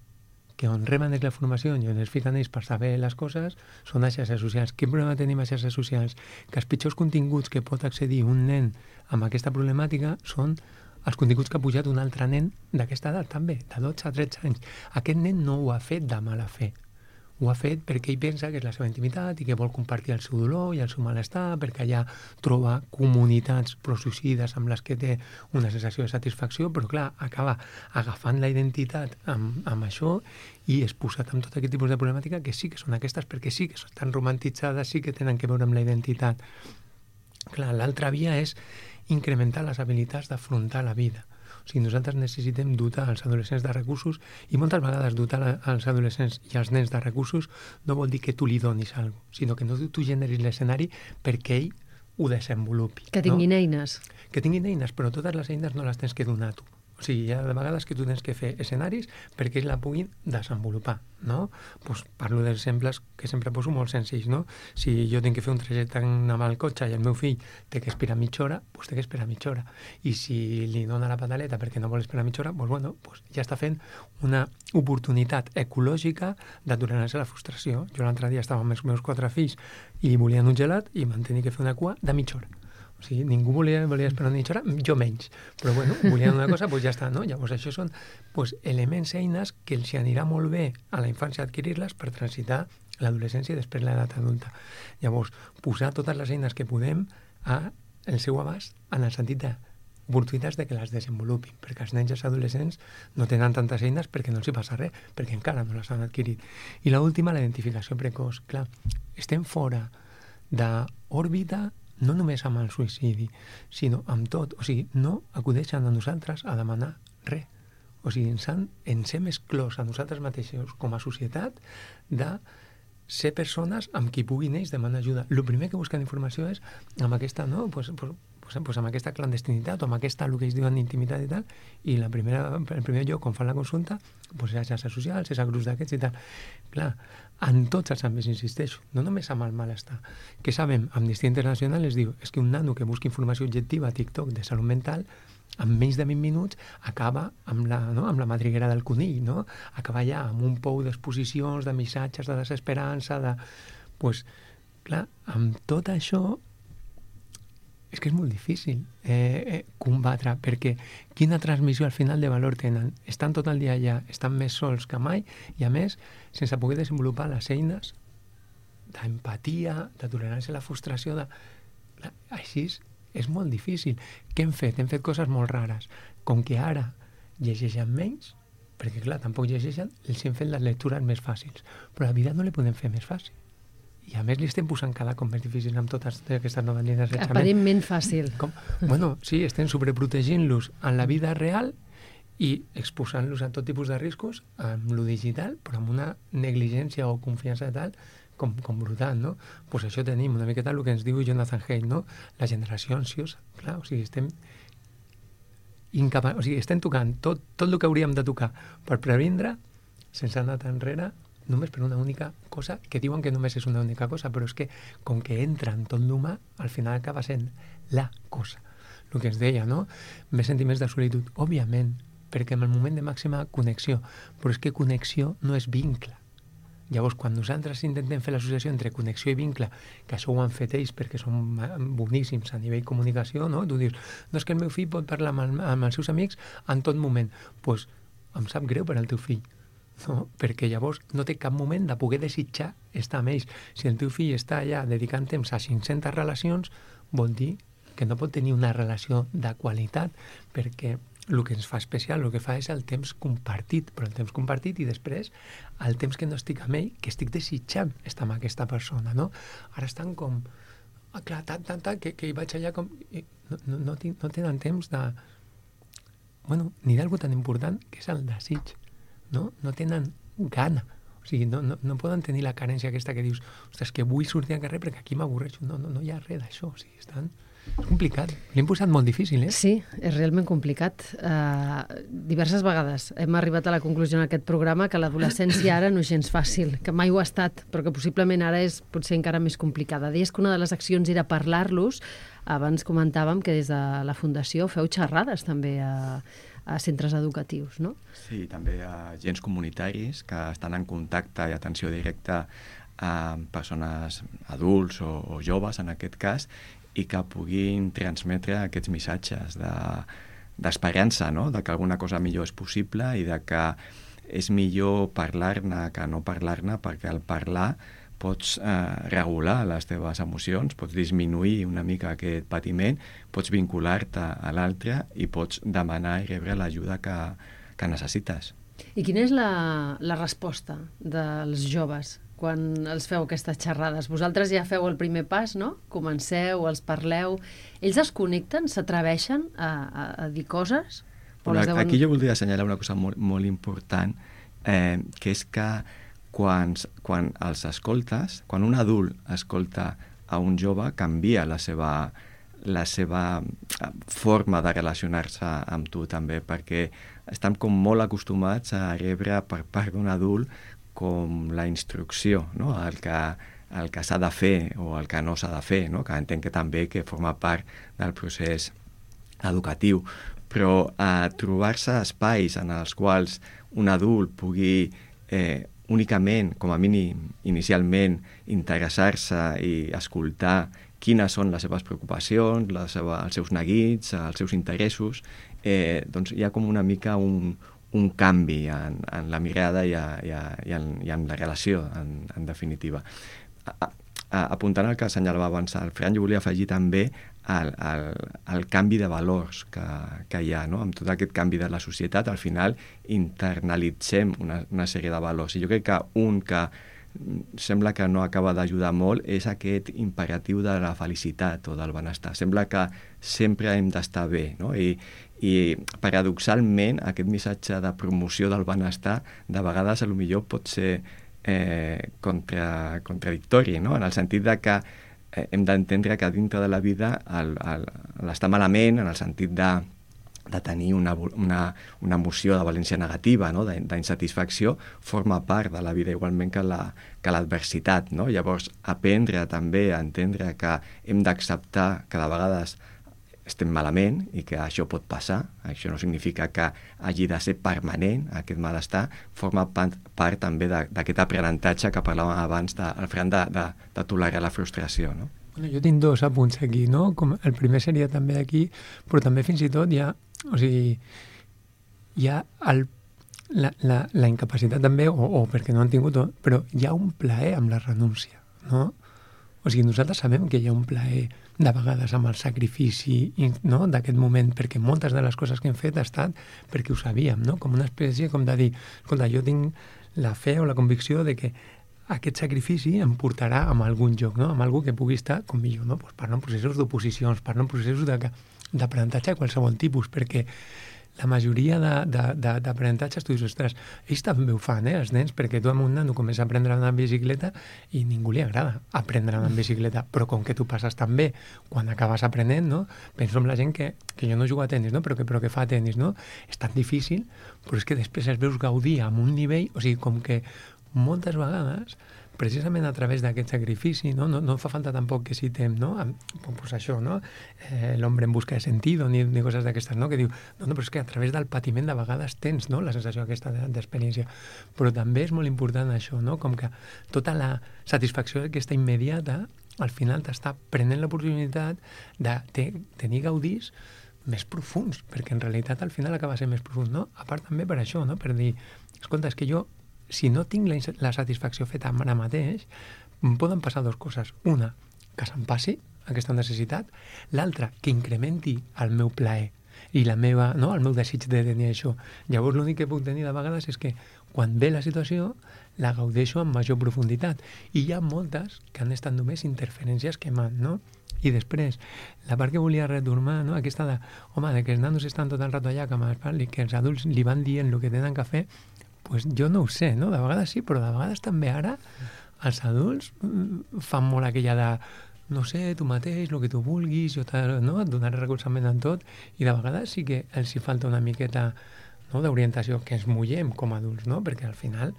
que on reben la formació i on es fiquen ells per saber les coses són a xarxes socials. Quin problema tenim a xarxes socials? Que els pitjors continguts que pot accedir un nen amb aquesta problemàtica són els continguts que ha pujat un altre nen d'aquesta edat també, de dotze a tretze anys. Aquest nen no ho ha fet de mala fe. Ho ha fet perquè ell pensa que és la seva intimitat i que vol compartir el seu dolor i el seu malestar, perquè allà troba comunitats prosuïcides amb les que té una sensació de satisfacció, però clar, acaba agafant la identitat amb, amb això i és posat amb tot aquest tipus de problemàtica que sí que són aquestes, perquè sí que estan romantitzades, sí que tenen que veure amb la identitat. Clar, l'altra via és incrementar les habilitats d'afrontar la vida. O sigui, nosaltres necessitem dotar els adolescents de recursos i moltes vegades dotar els adolescents i els nens de recursos no vol dir que tu li donis alguna cosa, sinó que no tu generis l'escenari perquè ell ho desenvolupi. Que tinguin no? eines. Que tinguin eines, però totes les eines no les tens que donar tu. O sigui, hi ha de vegades que tu tens que fer escenaris perquè ells la puguin desenvolupar, no? Pues parlo d'exemples que sempre poso molt senzills, no? Si jo tinc que fer un trajecte amb el cotxe i el meu fill té que esperar mitja hora, doncs té que esperar mitja hora. I si li dona la pedaleta perquè no vol esperar mitja hora, doncs bueno, pues ja està fent una oportunitat ecològica d'aturar-se la frustració. Jo l'altre dia estava amb els meus quatre fills i volien un gelat i van tenir que fer una cua de mitja hora. O sigui, ningú volia, volia esperar una mitja hora, jo menys. Però bueno, volien una cosa, doncs ja està, no? Llavors això són pues, elements, eines que els anirà molt bé a la infància adquirir-les per transitar l'adolescència i després l'edat adulta. Llavors, posar totes les eines que podem a el seu abast en el sentit de oportunitats de que les desenvolupin, perquè els nens i els adolescents no tenen tantes eines perquè no els hi passa res, perquè encara no les han adquirit. I l'última, la identificació precoç. Clar, estem fora d'òrbita no només amb el suïcidi, sinó amb tot. O sigui, no acudeixen a nosaltres a demanar res. O sigui, ens, han, ens hem exclòs a nosaltres mateixos com a societat de ser persones amb qui puguin ells demanar ajuda. El primer que busquen informació és amb aquesta, no? Pues, pues, pues, pues amb aquesta clandestinitat o amb aquesta, el que ells diuen intimitat i tal, i la primera, el primer lloc on fan la consulta pues, és a xarxes socials, és a grups d'aquests i tal. Clar, en tots els àmbits, insisteixo, no només amb el malestar. Que sabem, Amnistia Internacional es diu és que un nano que busca informació objectiva a TikTok de salut mental en menys de vint minuts acaba amb la, no? amb la madriguera del conill, no? Acaba ja amb un pou d'exposicions, de missatges, de desesperança, de... Pues, clar, amb tot això és que és molt difícil eh, eh, combatre, perquè quina transmissió al final de valor tenen? Estan tot el dia allà, estan més sols que mai i, a més, sense poder desenvolupar les eines d'empatia, de tolerància a la frustració, de... Així és molt difícil. Què hem fet? Hem fet coses molt rares. Com que ara llegeixen menys, perquè, clar, tampoc llegeixen, els hem fet les lectures més fàcils. Però la vida no la podem fer més fàcil. I a més li estem posant cada cop més difícil amb totes aquestes noves línies d'assetjament. Aparentment fàcil. Com? Bueno, sí, estem sobreprotegint-los en la vida real i exposant-los a tot tipus de riscos amb lo digital, però amb una negligència o confiança tal com, com brutal, no? Pues això tenim una miqueta el que ens diu Jonathan Haidt, no? La generació ansiosa. Clar, o sigui, estem incapa... o sigui, estem tocant tot, tot el que hauríem de tocar per previndre sense anar tan enrere, només per una única cosa, que diuen que només és una única cosa, però és que com que entra en tot l'humà, al final acaba sent la cosa. El que ens deia, no? Més sentiments de solitud, òbviament, perquè en el moment de màxima connexió, però és que connexió no és vincle. Llavors, quan nosaltres intentem fer l'associació entre connexió i vincle, que això ho han fet ells perquè són boníssims a nivell comunicació, no? Tu dius, no és que el meu fill pot parlar amb, el, amb els seus amics en tot moment. Doncs pues, em sap greu per al teu fill. No? Perquè llavors no té cap moment de poder desitjar estar amb ells. Si el teu fill està allà dedicant temps a cinc-centes relacions, vol dir que no pot tenir una relació de qualitat, perquè el que ens fa especial, el que fa és el temps compartit, però el temps compartit i després el temps que no estic amb ell, que estic desitjant estar amb aquesta persona, no? Ara estan com, ah, clar, tant, tant, tant, que, que hi vaig allà com... No, no, no, no tenen temps de... Bueno, ni d'algú tan important que és el desig. No? No tenen gana. O sigui, no, no, no poden tenir la carència aquesta que dius, ostres, que vull sortir al carrer perquè aquí m'avorreixo. No, no, no hi ha res d'això. O sigui, estan... És complicat. L'hem posat molt difícil, eh? Sí, és realment complicat. Uh, diverses vegades hem arribat a la conclusió en aquest programa que l'adolescència ara no és gens fàcil, que mai ho ha estat, però que possiblement ara és potser encara més complicada. Deies que una de les accions era parlar-los. Abans comentàvem que des de la Fundació feu xerrades també a, a centres educatius, no? Sí, també a agents comunitaris que estan en contacte i atenció directa amb persones adults o, o joves, en aquest cas, i que puguin transmetre aquests missatges de, d'esperança, no? De que alguna cosa millor és possible i de que és millor parlar-ne que no parlar-ne, perquè al parlar pots eh, regular les teves emocions, pots disminuir una mica aquest patiment, pots vincular-te a l'altre i pots demanar i rebre l'ajuda que, que necessites. I quina és la, la resposta dels joves quan els feu aquestes xerrades? Vosaltres ja feu el primer pas, no? Comenceu, els parleu. Ells es connecten, s'atreveixen a, a, a dir coses? Bueno, deuen... Aquí jo voldria assenyalar una cosa molt, molt important, eh, que és que quan, quan els escoltes, quan un adult escolta a un jove, canvia la seva, la seva forma de relacionar-se amb tu també, perquè estan com molt acostumats a rebre per part d'un adult com la instrucció, no? el que, el que s'ha de fer o el que no s'ha de fer, no? Que entenc que també que forma part del procés educatiu, però a trobar-se espais en els quals un adult pugui eh, únicament, com a mínim inicialment, interessar-se i escoltar quines són les seves preocupacions, la seva, els seus neguits, els seus interessos, eh, doncs hi ha com una mica un, un canvi en, en la mirada i, a, i, a, i, en, i en la relació, en, en definitiva. A, a, apuntant al que assenyalava abans el Fran, jo volia afegir també el, el, el canvi de valors que, que hi ha, no? Amb tot aquest canvi de la societat, al final internalitzem una, una sèrie de valors. I jo crec que un que sembla que no acaba d'ajudar molt és aquest imperatiu de la felicitat o del benestar. Sembla que sempre hem d'estar bé, no? I, i paradoxalment aquest missatge de promoció del benestar de vegades a lo millor pot ser eh, contra, contradictori, no? En el sentit de que eh, hem d'entendre que dintre de la vida l'estar malament, en el sentit de de tenir una, una, una emoció de valència negativa, no? d'insatisfacció, forma part de la vida igualment que la, que l'adversitat, no? Llavors, aprendre també a entendre que hem d'acceptar que de vegades estem malament i que això pot passar. Això no significa que hagi de ser permanent, aquest malestar. Forma part, part també d'aquest aprenentatge que parlàvem abans, de, al Fran, de, de, de tolerar la frustració, no? Bueno, jo tinc dos apunts aquí, no? Com el primer seria també aquí, però també fins i tot hi ha, o sigui, hi ha el, la, la, la incapacitat també, o, o perquè no han tingut, però hi ha un plaer amb la renúncia, no? O sigui, nosaltres sabem que hi ha un plaer de vegades amb el sacrifici, no?, d'aquest moment, perquè moltes de les coses que hem fet ha estat perquè ho sabíem, no?, com una espècie com de dir, escolta, jo tinc la fe o la convicció de que aquest sacrifici em portarà a algun lloc, no?, amb algú que pugui estar com millor, no?, pues parlo en processos d'oposicions, parlo en processos d'aprenentatge de qualsevol tipus, perquè la majoria d'aprenentatges tu dius, ostres, ells també ho fan, eh, els nens, perquè tu amb un nano comença a aprendre a anar en bicicleta i ningú li agrada aprendre a anar en bicicleta, però com que tu passes tan bé quan acabes aprenent, no? Penso en la gent que, que jo no jugo a tenis, no? però, que, però que fa tenis, no? És tan difícil, però és que després els veus gaudir amb un nivell, o sigui, com que moltes vegades, precisament a través d'aquest sacrifici, no, no, no fa falta tampoc que citem, no, pues això, no, eh, l'hombre en busca de sentido, ni, ni coses d'aquestes, no, que diu, no, no, però és que a través del patiment de vegades tens, no, la sensació aquesta d'experiència, però també és molt important això, no, com que tota la satisfacció aquesta immediata, al final t'està prenent l'oportunitat de te, tenir gaudis més profuns, perquè en realitat al final acaba sent més profund, no? A part també per això, no? Per dir, escolta, és que jo si no tinc la, la satisfacció feta ara mateix, poden passar dues coses. Una, que se'm passi aquesta necessitat. L'altra, que incrementi el meu plaer i la meva, no, el meu desig de tenir això. Llavors l'únic que puc tenir de vegades és que quan ve la situació la gaudeixo amb major profunditat. I hi ha moltes que han estat només interferències que m'han, no? I després, la part que volia retornar, no? Aquesta de, home, de que els nanos estan tot el rato allà, que me'ls parli, que els adults li van dient el que tenen que fer, pues jo no ho sé, no? De vegades sí, però de vegades també ara els adults fan molt aquella de no sé, tu mateix, el que tu vulguis, jo no? Et donaré recolzament en tot, i de vegades sí que els hi falta una miqueta, no?, d'orientació, que ens mullem com a adults, no? Perquè al final,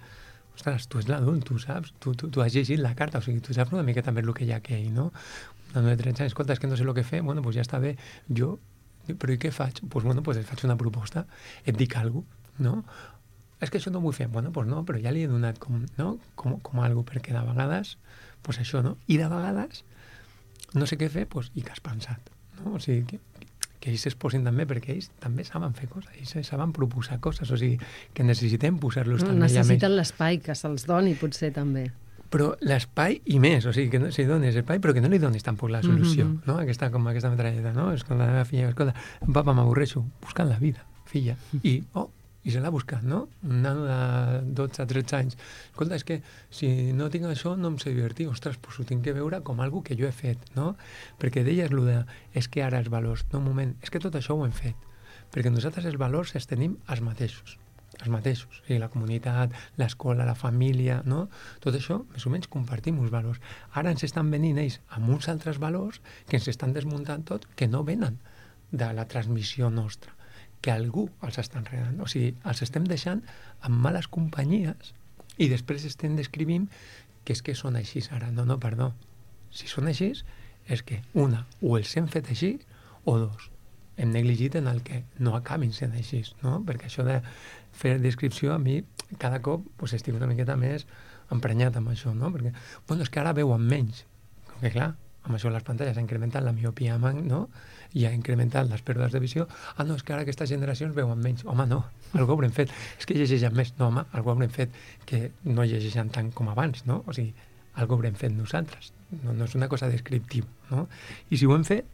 ostres, tu ets l'adult, tu saps, tu, tu, tu has llegit la carta, o sigui, tu saps una miqueta més el que hi ha aquell, no? Un nano de tretze anys, escolta, és que no sé el que fer, bueno, pues ja està bé, jo, però i què faig? Pues bueno, pues et faig una proposta, et dic alguna cosa, no? És que això no ho vull fer. Bueno, doncs no, però ja li he donat com, no? com, com algo, perquè de vegades, doncs això, no? I de vegades, no sé què fer, doncs, i que has pensat, no? O sigui, que, que ells es posin també, perquè ells també saben fer coses, ells saben proposar coses, o sigui, que necessitem posar-los no, també. Necessiten l'espai que se'ls doni, potser, també. Però l'espai i més, o sigui, que no, si dones espai, però que no li donis tampoc la solució, mm-hmm. no? Aquesta, com aquesta metralleta, no? És com la meva filla, escolta, papa, m'avorreixo, buscant la vida, filla, i, oh, i se l'ha buscat, no? Un nano de dotze a tretze anys. Escolta, és que si no tinc això no em sé divertir. Ostres, doncs ho tinc que veure com algo que jo he fet, no? Perquè deies lo de, és que ara els valors, no, un moment, és que tot això ho hem fet. Perquè nosaltres els valors els tenim els mateixos, els mateixos. O sigui, la comunitat, l'escola, la família, no? Tot això, més o menys, compartim uns valors. Ara ens estan venint ells amb uns altres valors que ens estan desmuntant tot, que no venen de la transmissió nostra, que algú els està enredant. O sigui, els estem deixant en males companyies i després estem descrivint que és que són així ara. No, no, perdó. Si són així, és que, una, o els hem fet així, o dos, hem negligit en el que no acabin sent així, no? Perquè això de fer descripció, a mi, cada cop pues, estic una miqueta més emprenyat amb això, no? Perquè, bueno, és que ara veuen menys. Com que, clar, amb això les pantalles ha incrementat la miopia, no? I ha incrementat les pèrdues de visió. Ah, no, és que ara aquestes generacions veuen menys. Home, no, algú haurem fet. És que llegeixen més. No, home, algú haurem fet que no llegeixen tant com abans, no? O sigui, algú haurem fet nosaltres. No, no és una cosa descriptiva, no? I si ho hem fet,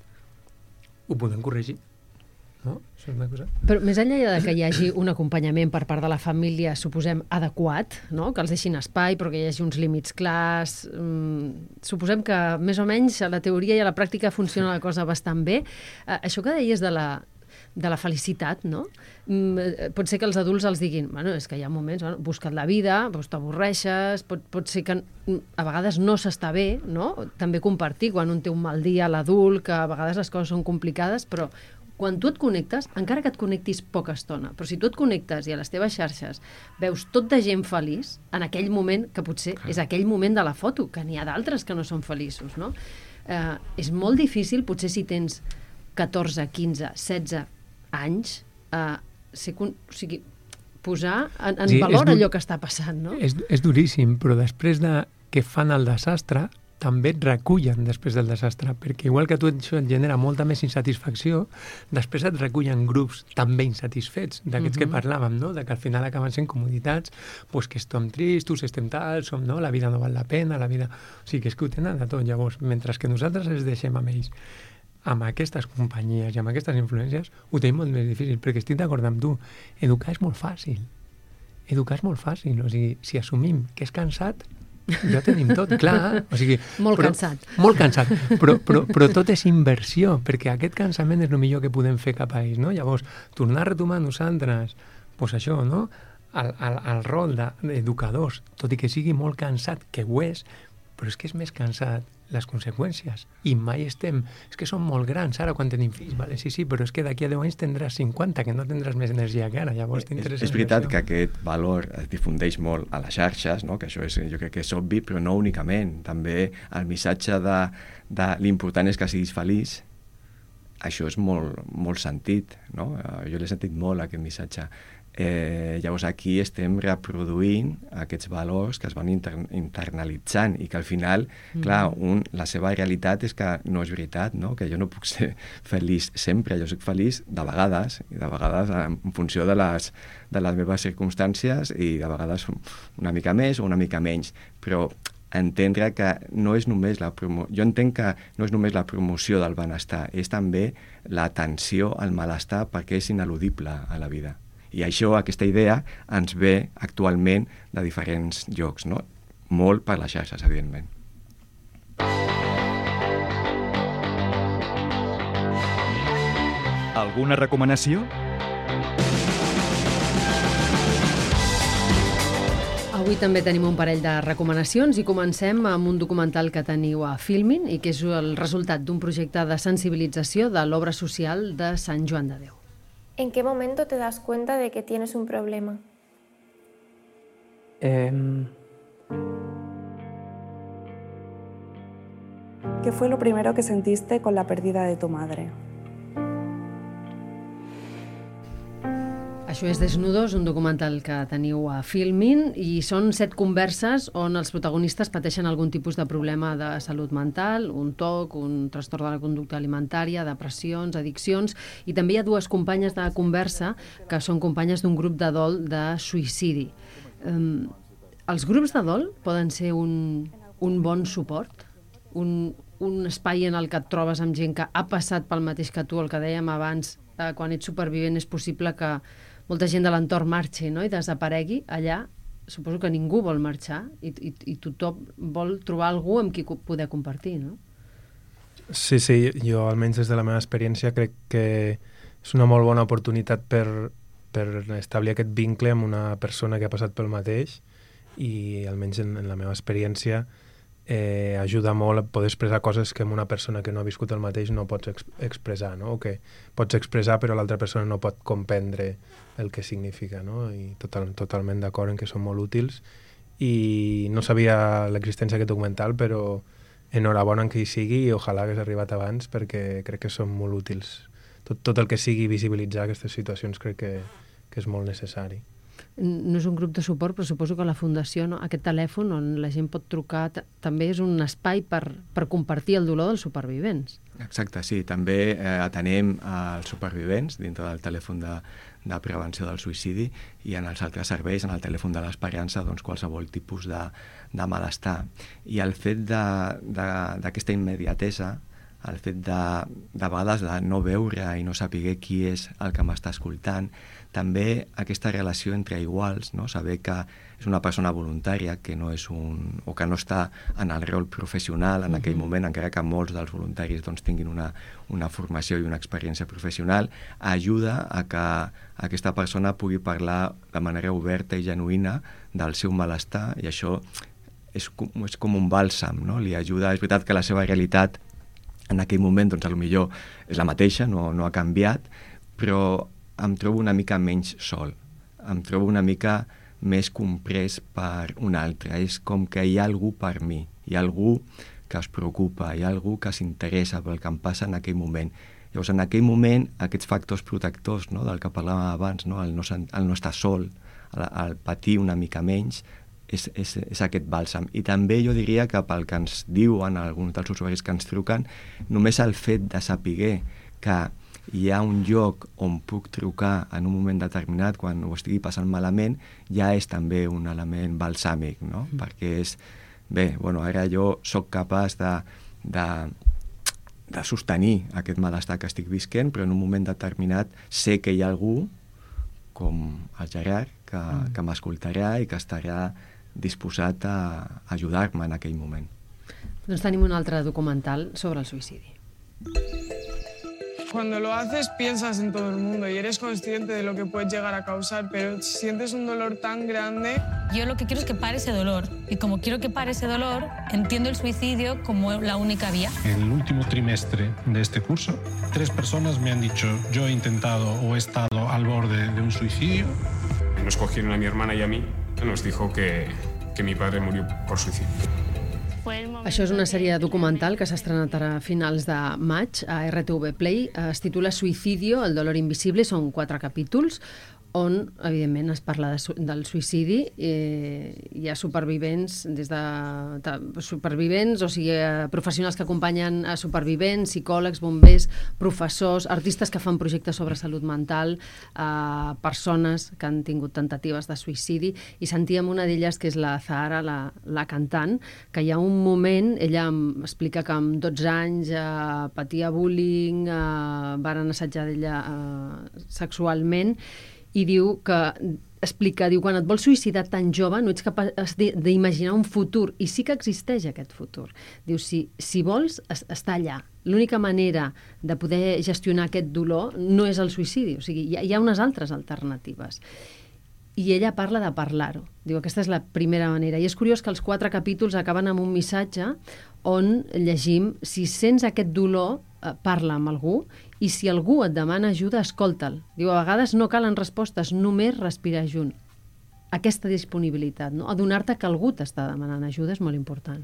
ho podem corregir. No? Això és una cosa... Però més enllà de que hi hagi un acompanyament per part de la família, suposem, adequat, no? Que els deixin espai, però que hi hagi uns límits clars... Mm, suposem que més o menys a la teoria i a la pràctica funciona la cosa bastant bé. Uh, això que deies de la, de la felicitat, no? Mm, pot ser que els adults els diguin, bueno, és que hi ha moments, bueno, busca't la vida, doncs t'avorreixes, pot, pot ser que a vegades no s'està bé, no? També compartir quan un té un mal dia, l'adult, que a vegades les coses són complicades, però quan tu et connectes, encara que et connectis poca estona, però si tu et connectes i a les teves xarxes veus tot de gent feliç, en aquell moment, que potser és aquell moment de la foto, que n'hi ha d'altres que no són feliços, no? Eh, és molt difícil, potser si tens catorze, quinze, setze anys, eh, ser, o sigui, posar en, en sí, valor allò que està passant, no? És, és duríssim, però després de que fan el desastre, també et recullen després del desastre, perquè igual que a tu això et genera molta més insatisfacció, després et recullen grups també insatisfets, d'aquests uh-huh. que parlàvem, no? De que al final acaben sent comoditats, pues que estem tristos, estem tal, som, no? La vida no val la pena, la vida... O sigui, que és que ho tenen de tot, llavors, mentre que nosaltres els deixem amb ells, amb aquestes companyies i amb aquestes influències, ho tenim molt més difícil, perquè estic d'acord amb tu, educar és molt fàcil. Educar és molt fàcil, o sigui, si assumim que és cansat, ja tenim tot, clar. O sigui, molt però, cansat. Molt cansat, però, però, però tot és inversió, perquè aquest cansament és el millor que podem fer cap a ells, no? Llavors, tornar a retomar nosaltres, doncs això, no? El, el, el rol d'educadors, tot i que sigui molt cansat, que ho és, però és que és més cansat les conseqüències. I mai estem... És que som molt grans ara quan tenim fills, vale? Sí, sí, però és que d'aquí a deu anys tindràs cinquanta, que no tindràs més energia que ara, llavors t'interessa... És, és veritat que aquest valor es difundeix molt a les xarxes, no? Que això és, jo crec que és obvi, però no únicament. També el missatge de, de l'important és que siguis feliç, això és molt, molt sentit, no? Jo l'he sentit molt, aquest missatge. Eh, llavors aquí estem reproduint aquests valors que es van inter internalitzant i que al final, mm. clar, un, la seva realitat és que no és veritat, no? Que jo no puc ser feliç sempre, jo soc feliç de vegades, i de vegades en funció de les, de les meves circumstàncies i de vegades una mica més o una mica menys, però entendre que no és només la promo... jo entenc que no és només la promoció del benestar, és també l'atenció al malestar perquè és ineludible a la vida. I això, aquesta idea, ens ve actualment de diferents llocs, no? Molt per les xarxes, evidentment. Alguna recomanació? Avui també tenim un parell de recomanacions i comencem amb un documental que teniu a Filmin i que és el resultat d'un projecte de sensibilització de l'obra social de Sant Joan de Déu. ¿En qué momento te das cuenta de que tienes un problema? Eh... ¿Qué fue lo primero que sentiste con la pérdida de tu madre? Això és Desnudos, un documental que teniu a Filmin i són set converses on els protagonistes pateixen algun tipus de problema de salut mental, un toc, un trastorn de la conducta alimentària, depressions, addiccions, i també hi ha dues companyes de conversa que són companyes d'un grup de dol de suïcidi. Um, els grups de dol poden ser un, un bon suport? Un, un espai en el que et trobes amb gent que ha passat pel mateix que tu, el que dèiem abans, eh, quan ets supervivent és possible que molta gent de l'entorn marxi, no? I desaparegui allà. Suposo que ningú vol marxar i, i, i tothom vol trobar algú amb qui poder compartir, no? Sí, sí, jo almenys des de la meva experiència crec que és una molt bona oportunitat per, per establir aquest vincle amb una persona que ha passat pel mateix i almenys en, en la meva experiència eh, ajuda molt a poder expressar coses que una persona que no ha viscut el mateix no pots ex expressar, no? O que pots expressar però l'altra persona no pot comprendre el que significa, no? I total, totalment d'acord en que són molt útils i no sabia l'existència d'aquest documental, però enhorabona en que hi sigui i ojalà hagués arribat abans perquè crec que són molt útils. Tot, tot el que sigui visibilitzar aquestes situacions crec que, que és molt necessari. No és un grup de suport, però suposo que la Fundació, no? Aquest telèfon on la gent pot trucar, també és un espai per, per compartir el dolor dels supervivents. Exacte, sí. També eh, atenem als supervivents dintre del telèfon de, de prevenció del suïcidi i en els altres serveis, en el telèfon de l'esperança, doncs qualsevol tipus de, de malestar. I el fet d'aquesta immediatesa, el fet de, de vegades de no veure i no saber qui és el que m'està escoltant, també aquesta relació entre iguals, no? Saber que és una persona voluntària, que no és un, o que no està en el rol professional en aquell moment, encara que molts dels voluntaris doncs, tinguin una, una formació i una experiència professional, ajuda a que aquesta persona pugui parlar de manera oberta i genuïna del seu malestar, i això és com, és com un bàlsam, no? Li ajuda, és veritat que la seva realitat en aquell moment, doncs, potser és la mateixa, no, no ha canviat, però em trobo una mica menys sol, em trobo una mica més comprès per un altre. És com que hi ha algú per mi, hi ha algú que es preocupa, hi ha algú que s'interessa pel que em passa en aquell moment. Llavors, en aquell moment, aquests factors protectors, no?, del que parlàvem abans, no?, el, no, el no estar sol, el, el patir una mica menys, és, és, és aquest bàlsam. I també jo diria que pel que ens diuen alguns dels usuaris que ens truquen, només el fet de saber que hi ha un lloc on puc trucar en un moment determinat quan ho estigui passant malament, ja és també un element balsàmic, no? Mm. Perquè és, bé, bueno, ara jo sóc capaç de, de, de sostenir aquest malestar que estic visquent, però en un moment determinat sé que hi ha algú, com el Gerard, que, mm. que m'escoltarà i que estarà disposat a ajudar-me en aquell moment. Doncs tenim un altre documental sobre el suïcidi. Cuando lo haces piensas en todo el mundo y eres consciente de lo que puedes llegar a causar, pero sientes un dolor tan grande. Yo lo que quiero es que pare ese dolor y como quiero que pare ese dolor, entiendo el suicidio como la única vía. En el último trimestre de este curso, tres personas me han dicho yo he intentado o he estado al borde de un suicidio. Nos cogieron a mi hermana y a mí, nos dijo que, que mi padre murió por suicidio. Això és una sèrie documental que s'ha estrenat ara a finals de maig a R T V Play. Es titula Suicidio, el dolor invisible. Són quatre capítols on, evidentment, es parla de, del suïcidi. Eh, hi ha supervivents, des de, de supervivents, o sigui, eh, professionals que acompanyen a supervivents, psicòlegs, bombers, professors, artistes que fan projectes sobre salut mental, eh, persones que han tingut tentatives de suïcidi, i sentíem una d'elles, que és la Zahara, la, la cantant, que hi ha un moment, ella explica que amb dotze anys eh, patia bullying, eh, varen assetjar d'ella eh, sexualment, i diu que, explica, diu, quan et vols suïcidar tan jove no ets capaç d'imaginar un futur, i sí que existeix aquest futur. Diu, si, si vols, està allà. L'única manera de poder gestionar aquest dolor no és el suïcidi, o sigui, hi ha, hi ha unes altres alternatives. I ella parla de parlar-ho. Diu, aquesta és la primera manera. I és curiós que els quatre capítols acaben amb un missatge on llegim, si sents aquest dolor, parla amb algú, i si algú et demana ajuda, escolta'l. Diu, a vegades no calen respostes, només respirar junt. Aquesta disponibilitat, no? Adonar-te que algú t'està demanant ajuda és molt important.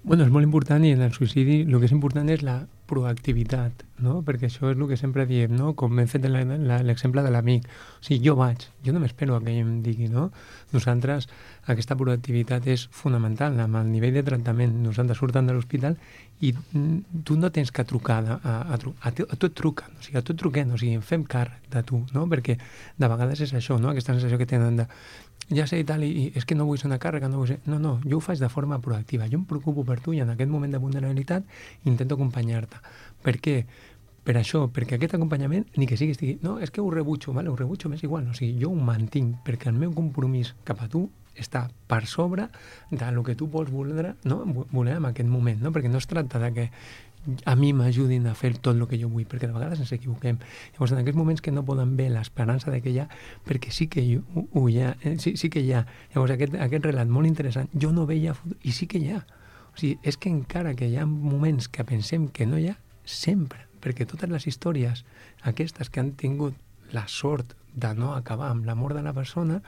Bueno, és molt important, i en el suïcidi el que és important és la proactivitat, no? Perquè això és el que sempre diem, no? Com hem fet l'exemple de l'amic. O sigui, jo vaig, jo no m'espero que ell em digui, no? Nosaltres, aquesta proactivitat és fonamental amb el nivell de tractament. Nosaltres surten de l'hospital i tu no tens que trucar, a, a, a, a, a tu et truquen, o sigui, a tu et truquen, o sigui, fem càrrec de tu, no? Perquè de vegades és això, no? Aquesta sensació que tenen de ja sé i tal, i, i és que no vull ser una càrrega, no vull ser... No, no, jo ho faig de forma proactiva. Jo em preocupo per tu i en aquest moment de vulnerabilitat intento acompanyar-te. Per què? Per això, perquè aquest acompanyament, ni que sigui, estigui, no, és que ho rebutjo, vale, ho rebutjo, m'és igual, o sigui, jo ho mantinc, perquè el meu compromís cap a tu està per sobre del que tu vols voler, no? voler en aquest moment, no? Perquè no es tracta de que a mi m'ajudin a fer tot el que jo vull, perquè de vegades ens equivoquem. Llavors, en aquests moments que no poden ver l'esperança de que hi ha, perquè sí que hi, ho, ho hi ha, eh, sí, sí que hi ha. Llavors, aquest, aquest relat molt interessant, jo no veia futur, i sí que hi ha. O sigui, és que encara que hi ha moments que pensem que no hi ha, sempre, perquè totes les històries aquestes que han tingut la sort de no acabar amb la mort de la persona,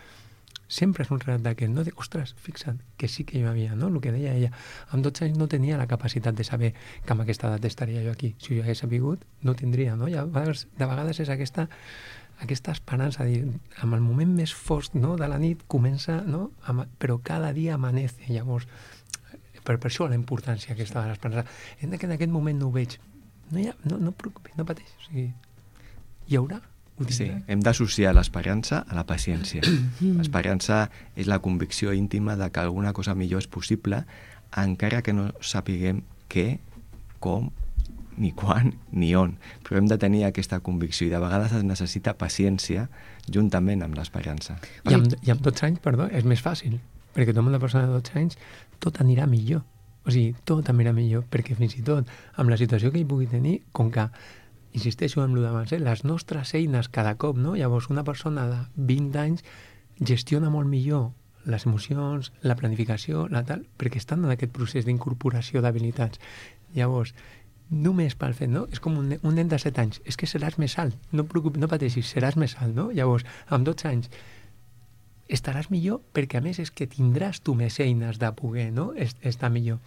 sempre és un relat d'aquest, no? De, ostres, fixa't, que sí que hi havia, no? El que deia ella. Amb dotze anys no tenia la capacitat de saber que amb aquesta edat estaria jo aquí. Si jo hagués sabut, no tindria, no? I a vegades, de vegades és aquesta, aquesta esperança, dir, amb el moment més fosc, no?, de la nit comença, no?, Ama, però cada dia amanece. Llavors, per, per això la importància aquesta de l'esperança. En aquest moment no ho veig. No, hi ha, no, no preocupis, no pateix. O sigui, hi haurà. Sí, hem d'associar l'esperança a la paciència. L'esperança és la convicció íntima de que alguna cosa millor és possible, encara que no sapiguem què, com, ni quan, ni on. Però hem de tenir aquesta convicció i de vegades es necessita paciència juntament amb l'esperança. I amb, i amb dotze anys, perdó, és més fàcil, perquè amb una persona de dotze anys tot anirà millor. O sigui, tot anirà millor, perquè fins i tot amb la situació que hi pugui tenir, com que insisteixo en el d'abans, eh? Les nostres eines cada cop, no? Llavors, una persona de vint anys gestiona molt millor les emocions, la planificació, la tal, perquè estan en aquest procés d'incorporació d'habilitats. Llavors, només pel fet, no? És com un, un nen de set anys, és que seràs més alt, no, preocupis, no pateixis, seràs més alt, no? Llavors, amb dotze anys, estaràs millor perquè, a més, és que tindràs tu més eines de poder, no?, estar millor.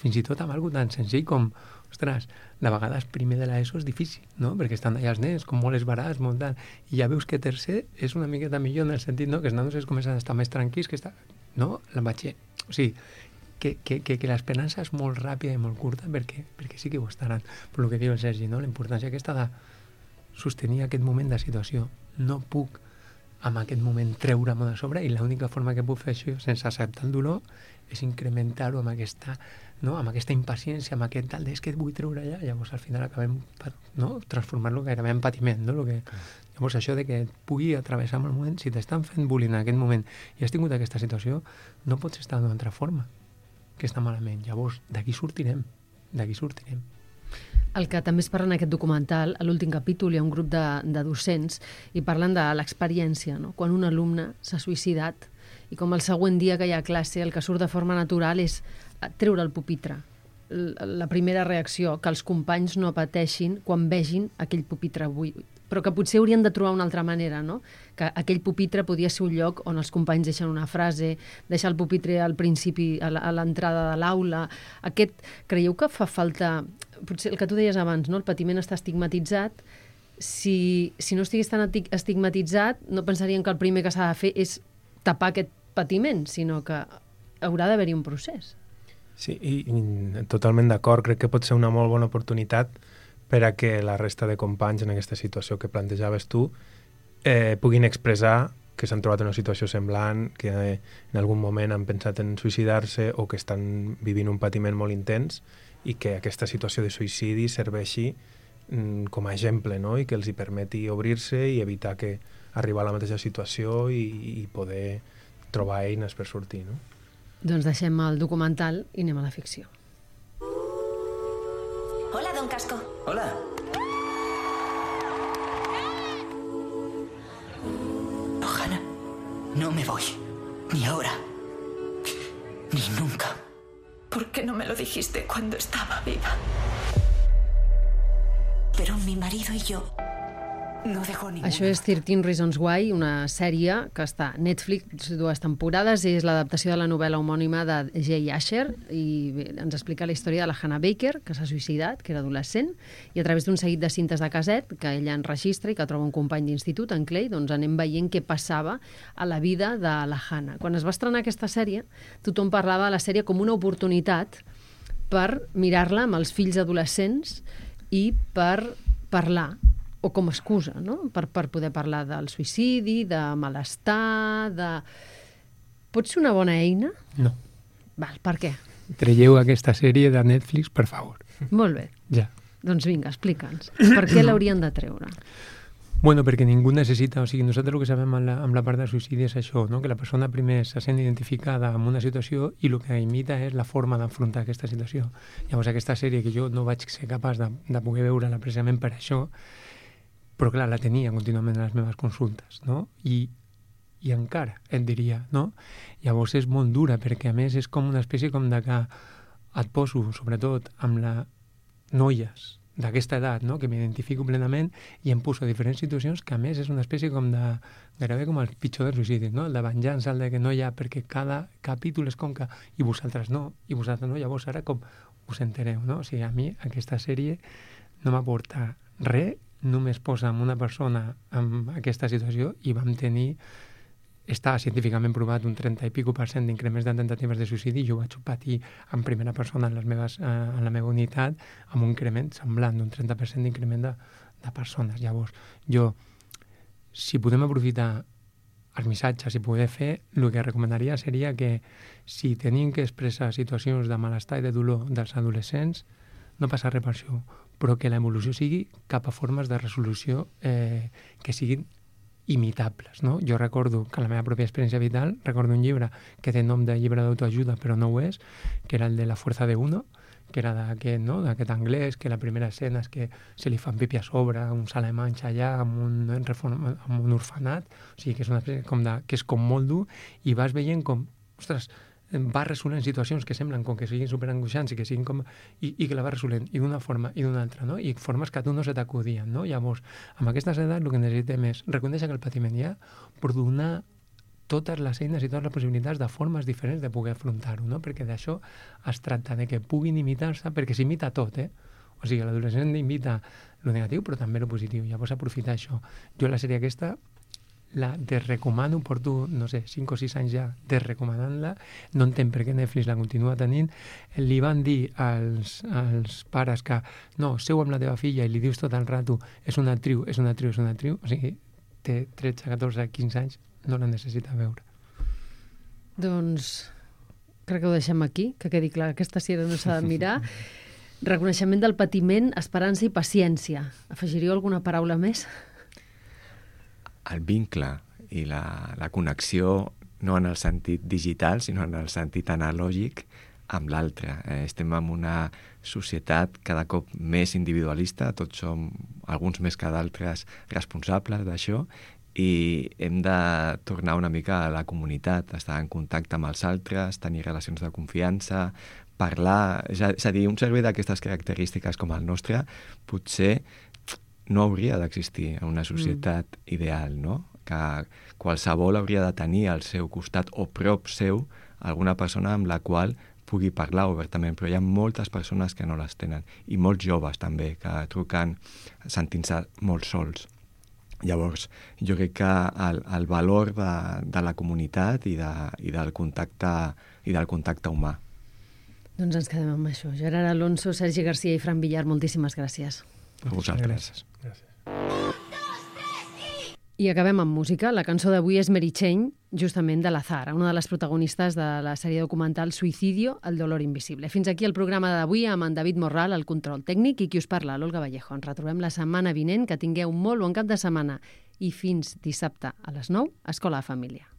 fins i tot amb alguna tan senzill com, ostres, de vegades primer de l'ESO és difícil, no? Perquè estan allà els nens, com molt esbarats, molt tant, i ja veus que tercer és una miqueta millor en el sentit, no?, que els nanos es comencen a estar més tranquils, que està, no?, la batxer. O sigui, que, que, que, que l'esperança és molt ràpida i molt curta perquè, perquè sí que ho estaran. Però el que diu el Sergi, no?, la importància aquesta de sostenir aquest moment de situació. No puc en aquest moment treure'm de sobre i l'única forma que puc fer això sense acceptar el dolor és incrementar-ho amb aquesta, no? amb aquesta impaciència, amb aquest tal, és que et vull treure allà, llavors al final acabem, no? transformar-lo gairebé en patiment, no? Lo que, llavors això de que et pugui atravessar en el moment, si t'estan fent bullying en aquest moment i has tingut aquesta situació, no pots estar d'una altra forma que està malament, llavors d'aquí sortirem, d'aquí sortirem. El que també es parla en aquest documental, a l'últim capítol hi ha un grup de, de docents i parlen de l'experiència, no? Quan un alumne s'ha suïcidat i com el següent dia que hi ha classe el que surt de forma natural és treure el pupitre. La primera reacció, que els companys no pateixin quan vegin aquell pupitre buit, però que potser haurien de trobar una altra manera, no? Que aquell pupitre podia ser un lloc on els companys deixen una frase, deixar el pupitre al principi, a l'entrada de l'aula. Aquest, creieu que fa falta, potser el que tu deies abans, no? El patiment està estigmatitzat. Si, si no estigués tan estigmatitzat, no pensarien que el primer que s'ha de fer és tapar aquest patiment, sinó que haurà d'haver-hi un procés. Sí, i, i totalment d'acord. Crec que pot ser una molt bona oportunitat per a que la resta de companys en aquesta situació que plantejaves tu eh, puguin expressar que s'han trobat en una situació semblant, que eh, en algun moment han pensat en suïcidar-se o que estan vivint un patiment molt intens i que aquesta situació de suïcidi serveixi mm, com a exemple, no? I que els hi permeti obrir-se i evitar que arribar a la mateixa situació i, i poder trobar eines per sortir, no? Doncs deixem el documental i anem a la ficció. Hola, don Casco. Hola. No, Hannah, no me voy. Ni ahora. Ni nunca. ¿Por qué no me lo dijiste cuando estaba viva? Pero mi marido y yo no dejo ninguna. Això és thirteen Reasons Why, una sèrie que està a Netflix, dues temporades, és l'adaptació de la novel·la homònima de Jay Asher i bé, ens explica la història de la Hannah Baker, que s'ha suïcidat, que era adolescent, i a través d'un seguit de cintes de caset que ella enregistra i que troba un company d'institut, en Clay, doncs anem veient què passava a la vida de la Hannah. Quan es va estrenar aquesta sèrie, tothom parlava de la sèrie com una oportunitat per mirar-la amb els fills adolescents i per parlar o com a excusa, no? Per, per poder parlar del suïcidi, de malestar, de... Pot ser una bona eina? No. Val, per què? Traieu aquesta sèrie de Netflix, per favor. Molt bé. Ja. Doncs vinga, explica'ns. Per què l'haurien de treure? Bueno, perquè ningú necessita... O sigui, nosaltres el que sabem amb la, amb la part del suïcidi és això, no? Que la persona primer se sent identificada amb una situació i el que imita és la forma d'enfrontar aquesta situació. Llavors, aquesta sèrie que jo no vaig ser capaç de, de poder veure-la precisament per això, però clar, la tenia contínuament a les meves consultes, no? I, i encara, et diria, no? Llavors és molt dura, perquè a més és com una espècie com de que et poso, sobretot, amb les noies d'aquesta edat, no? Que m'identifico plenament i em poso a diferents situacions que a més és una espècie com de, gairebé com el pitjor dels suïcidis, no? El de venjança, el de que no hi ha, perquè cada capítol és com que i vosaltres no, i vosaltres no, llavors ara com us entereu, no? O sigui, a mi aquesta sèrie no m'aporta res, només posa en una persona en aquesta situació i vam tenir, està científicament provat un trenta i pico per cent d'increments de tentatives de suïcidi i jo vaig patir en primera persona en, les meves, eh, en la meva unitat amb un increment semblant d'un trenta per cent d'increment de, de persones. Llavors, jo, si podem aprofitar els missatges i poder fer, el que recomanaria seria que si tenim que expressar situacions de malestar i de dolor dels adolescents, no passa res per això, però que l'evolució sigui cap a formes de resolució eh, que siguin imitables, no? Jo recordo que la meva pròpia experiència vital, recordo un llibre que té nom de llibre d'autoajuda, però no ho és, que era el de La fuerza de uno, que era d'aquest, no? D'aquest anglès, que la primera escena és que se li fan pipi a sobre, uns alemanys allà, amb un, amb un orfenat, o sigui que és una espècie com de, que és com molt dur, i vas veient com, ostres, va resolent situacions que semblen com que siguin superangoixants i que siguin com... I, i que la va resolent i d'una forma i d'una altra, no? I formes que a tu no se t'acudien, no? Llavors, amb aquestes edats el que necessitem és reconèixer que el patiment hi ha, però donar totes les eines i totes les possibilitats de formes diferents de poder afrontar-ho, no? Perquè d'això es tracta, de que puguin imitar-se, perquè s'imita tot, eh? O sigui, l'adolescent imita lo negatiu, però també lo positiu. Llavors, aprofitar això. Jo la sèrie aquesta la desrecomano, porto, no sé, cinc o sis anys ja desrecomanant-la, no entenc per què Netflix la continua tenint. Li van dir als, als pares que no, seu amb la teva filla i li dius tot el rato és una actriu, és una actriu, és una actriu, o sigui, té tretze, catorze, quinze anys, no la necessita veure. Doncs crec que ho deixem aquí, que quedi clar que aquesta sèrie no s'ha de mirar. Reconeixement del patiment, esperança i paciència. Afegiríeu alguna paraula més? El vincle i la, la connexió, no en el sentit digital, sinó en el sentit analògic, amb l'altre. Eh, estem en una societat cada cop més individualista, tots som, alguns més que d'altres, responsables d'això, i hem de tornar una mica a la comunitat, estar en contacte amb els altres, tenir relacions de confiança, parlar... És a, és a dir, un servei d'aquestes característiques com el nostre potser no hauria d'existir en una societat mm. ideal, no? Que qualsevol hauria de tenir al seu costat o prop seu alguna persona amb la qual pugui parlar obertament, però hi ha moltes persones que no les tenen, i molts joves també, que truquen sentint-se molt sols. Llavors, jo crec que el, el valor de, de la comunitat i, de, i, del contacte, i del contacte humà. Doncs ens quedem amb això. Gerard Alonso, Sergi Garcia i Fran Villar, moltíssimes gràcies. A vosaltres. Gràcies. Gràcies. I acabem amb música. La cançó d'avui és Mary Chain, justament de la Zahara, una de les protagonistes de la sèrie documental Suicidio, el dolor invisible. Fins aquí el programa d'avui amb en David Morral, el control tècnic, i qui us parla, l'Olga Vallejo. Ens retrobem la setmana vinent. Que tingueu molt bon cap de setmana. I fins dissabte a les nou, Escola de Família.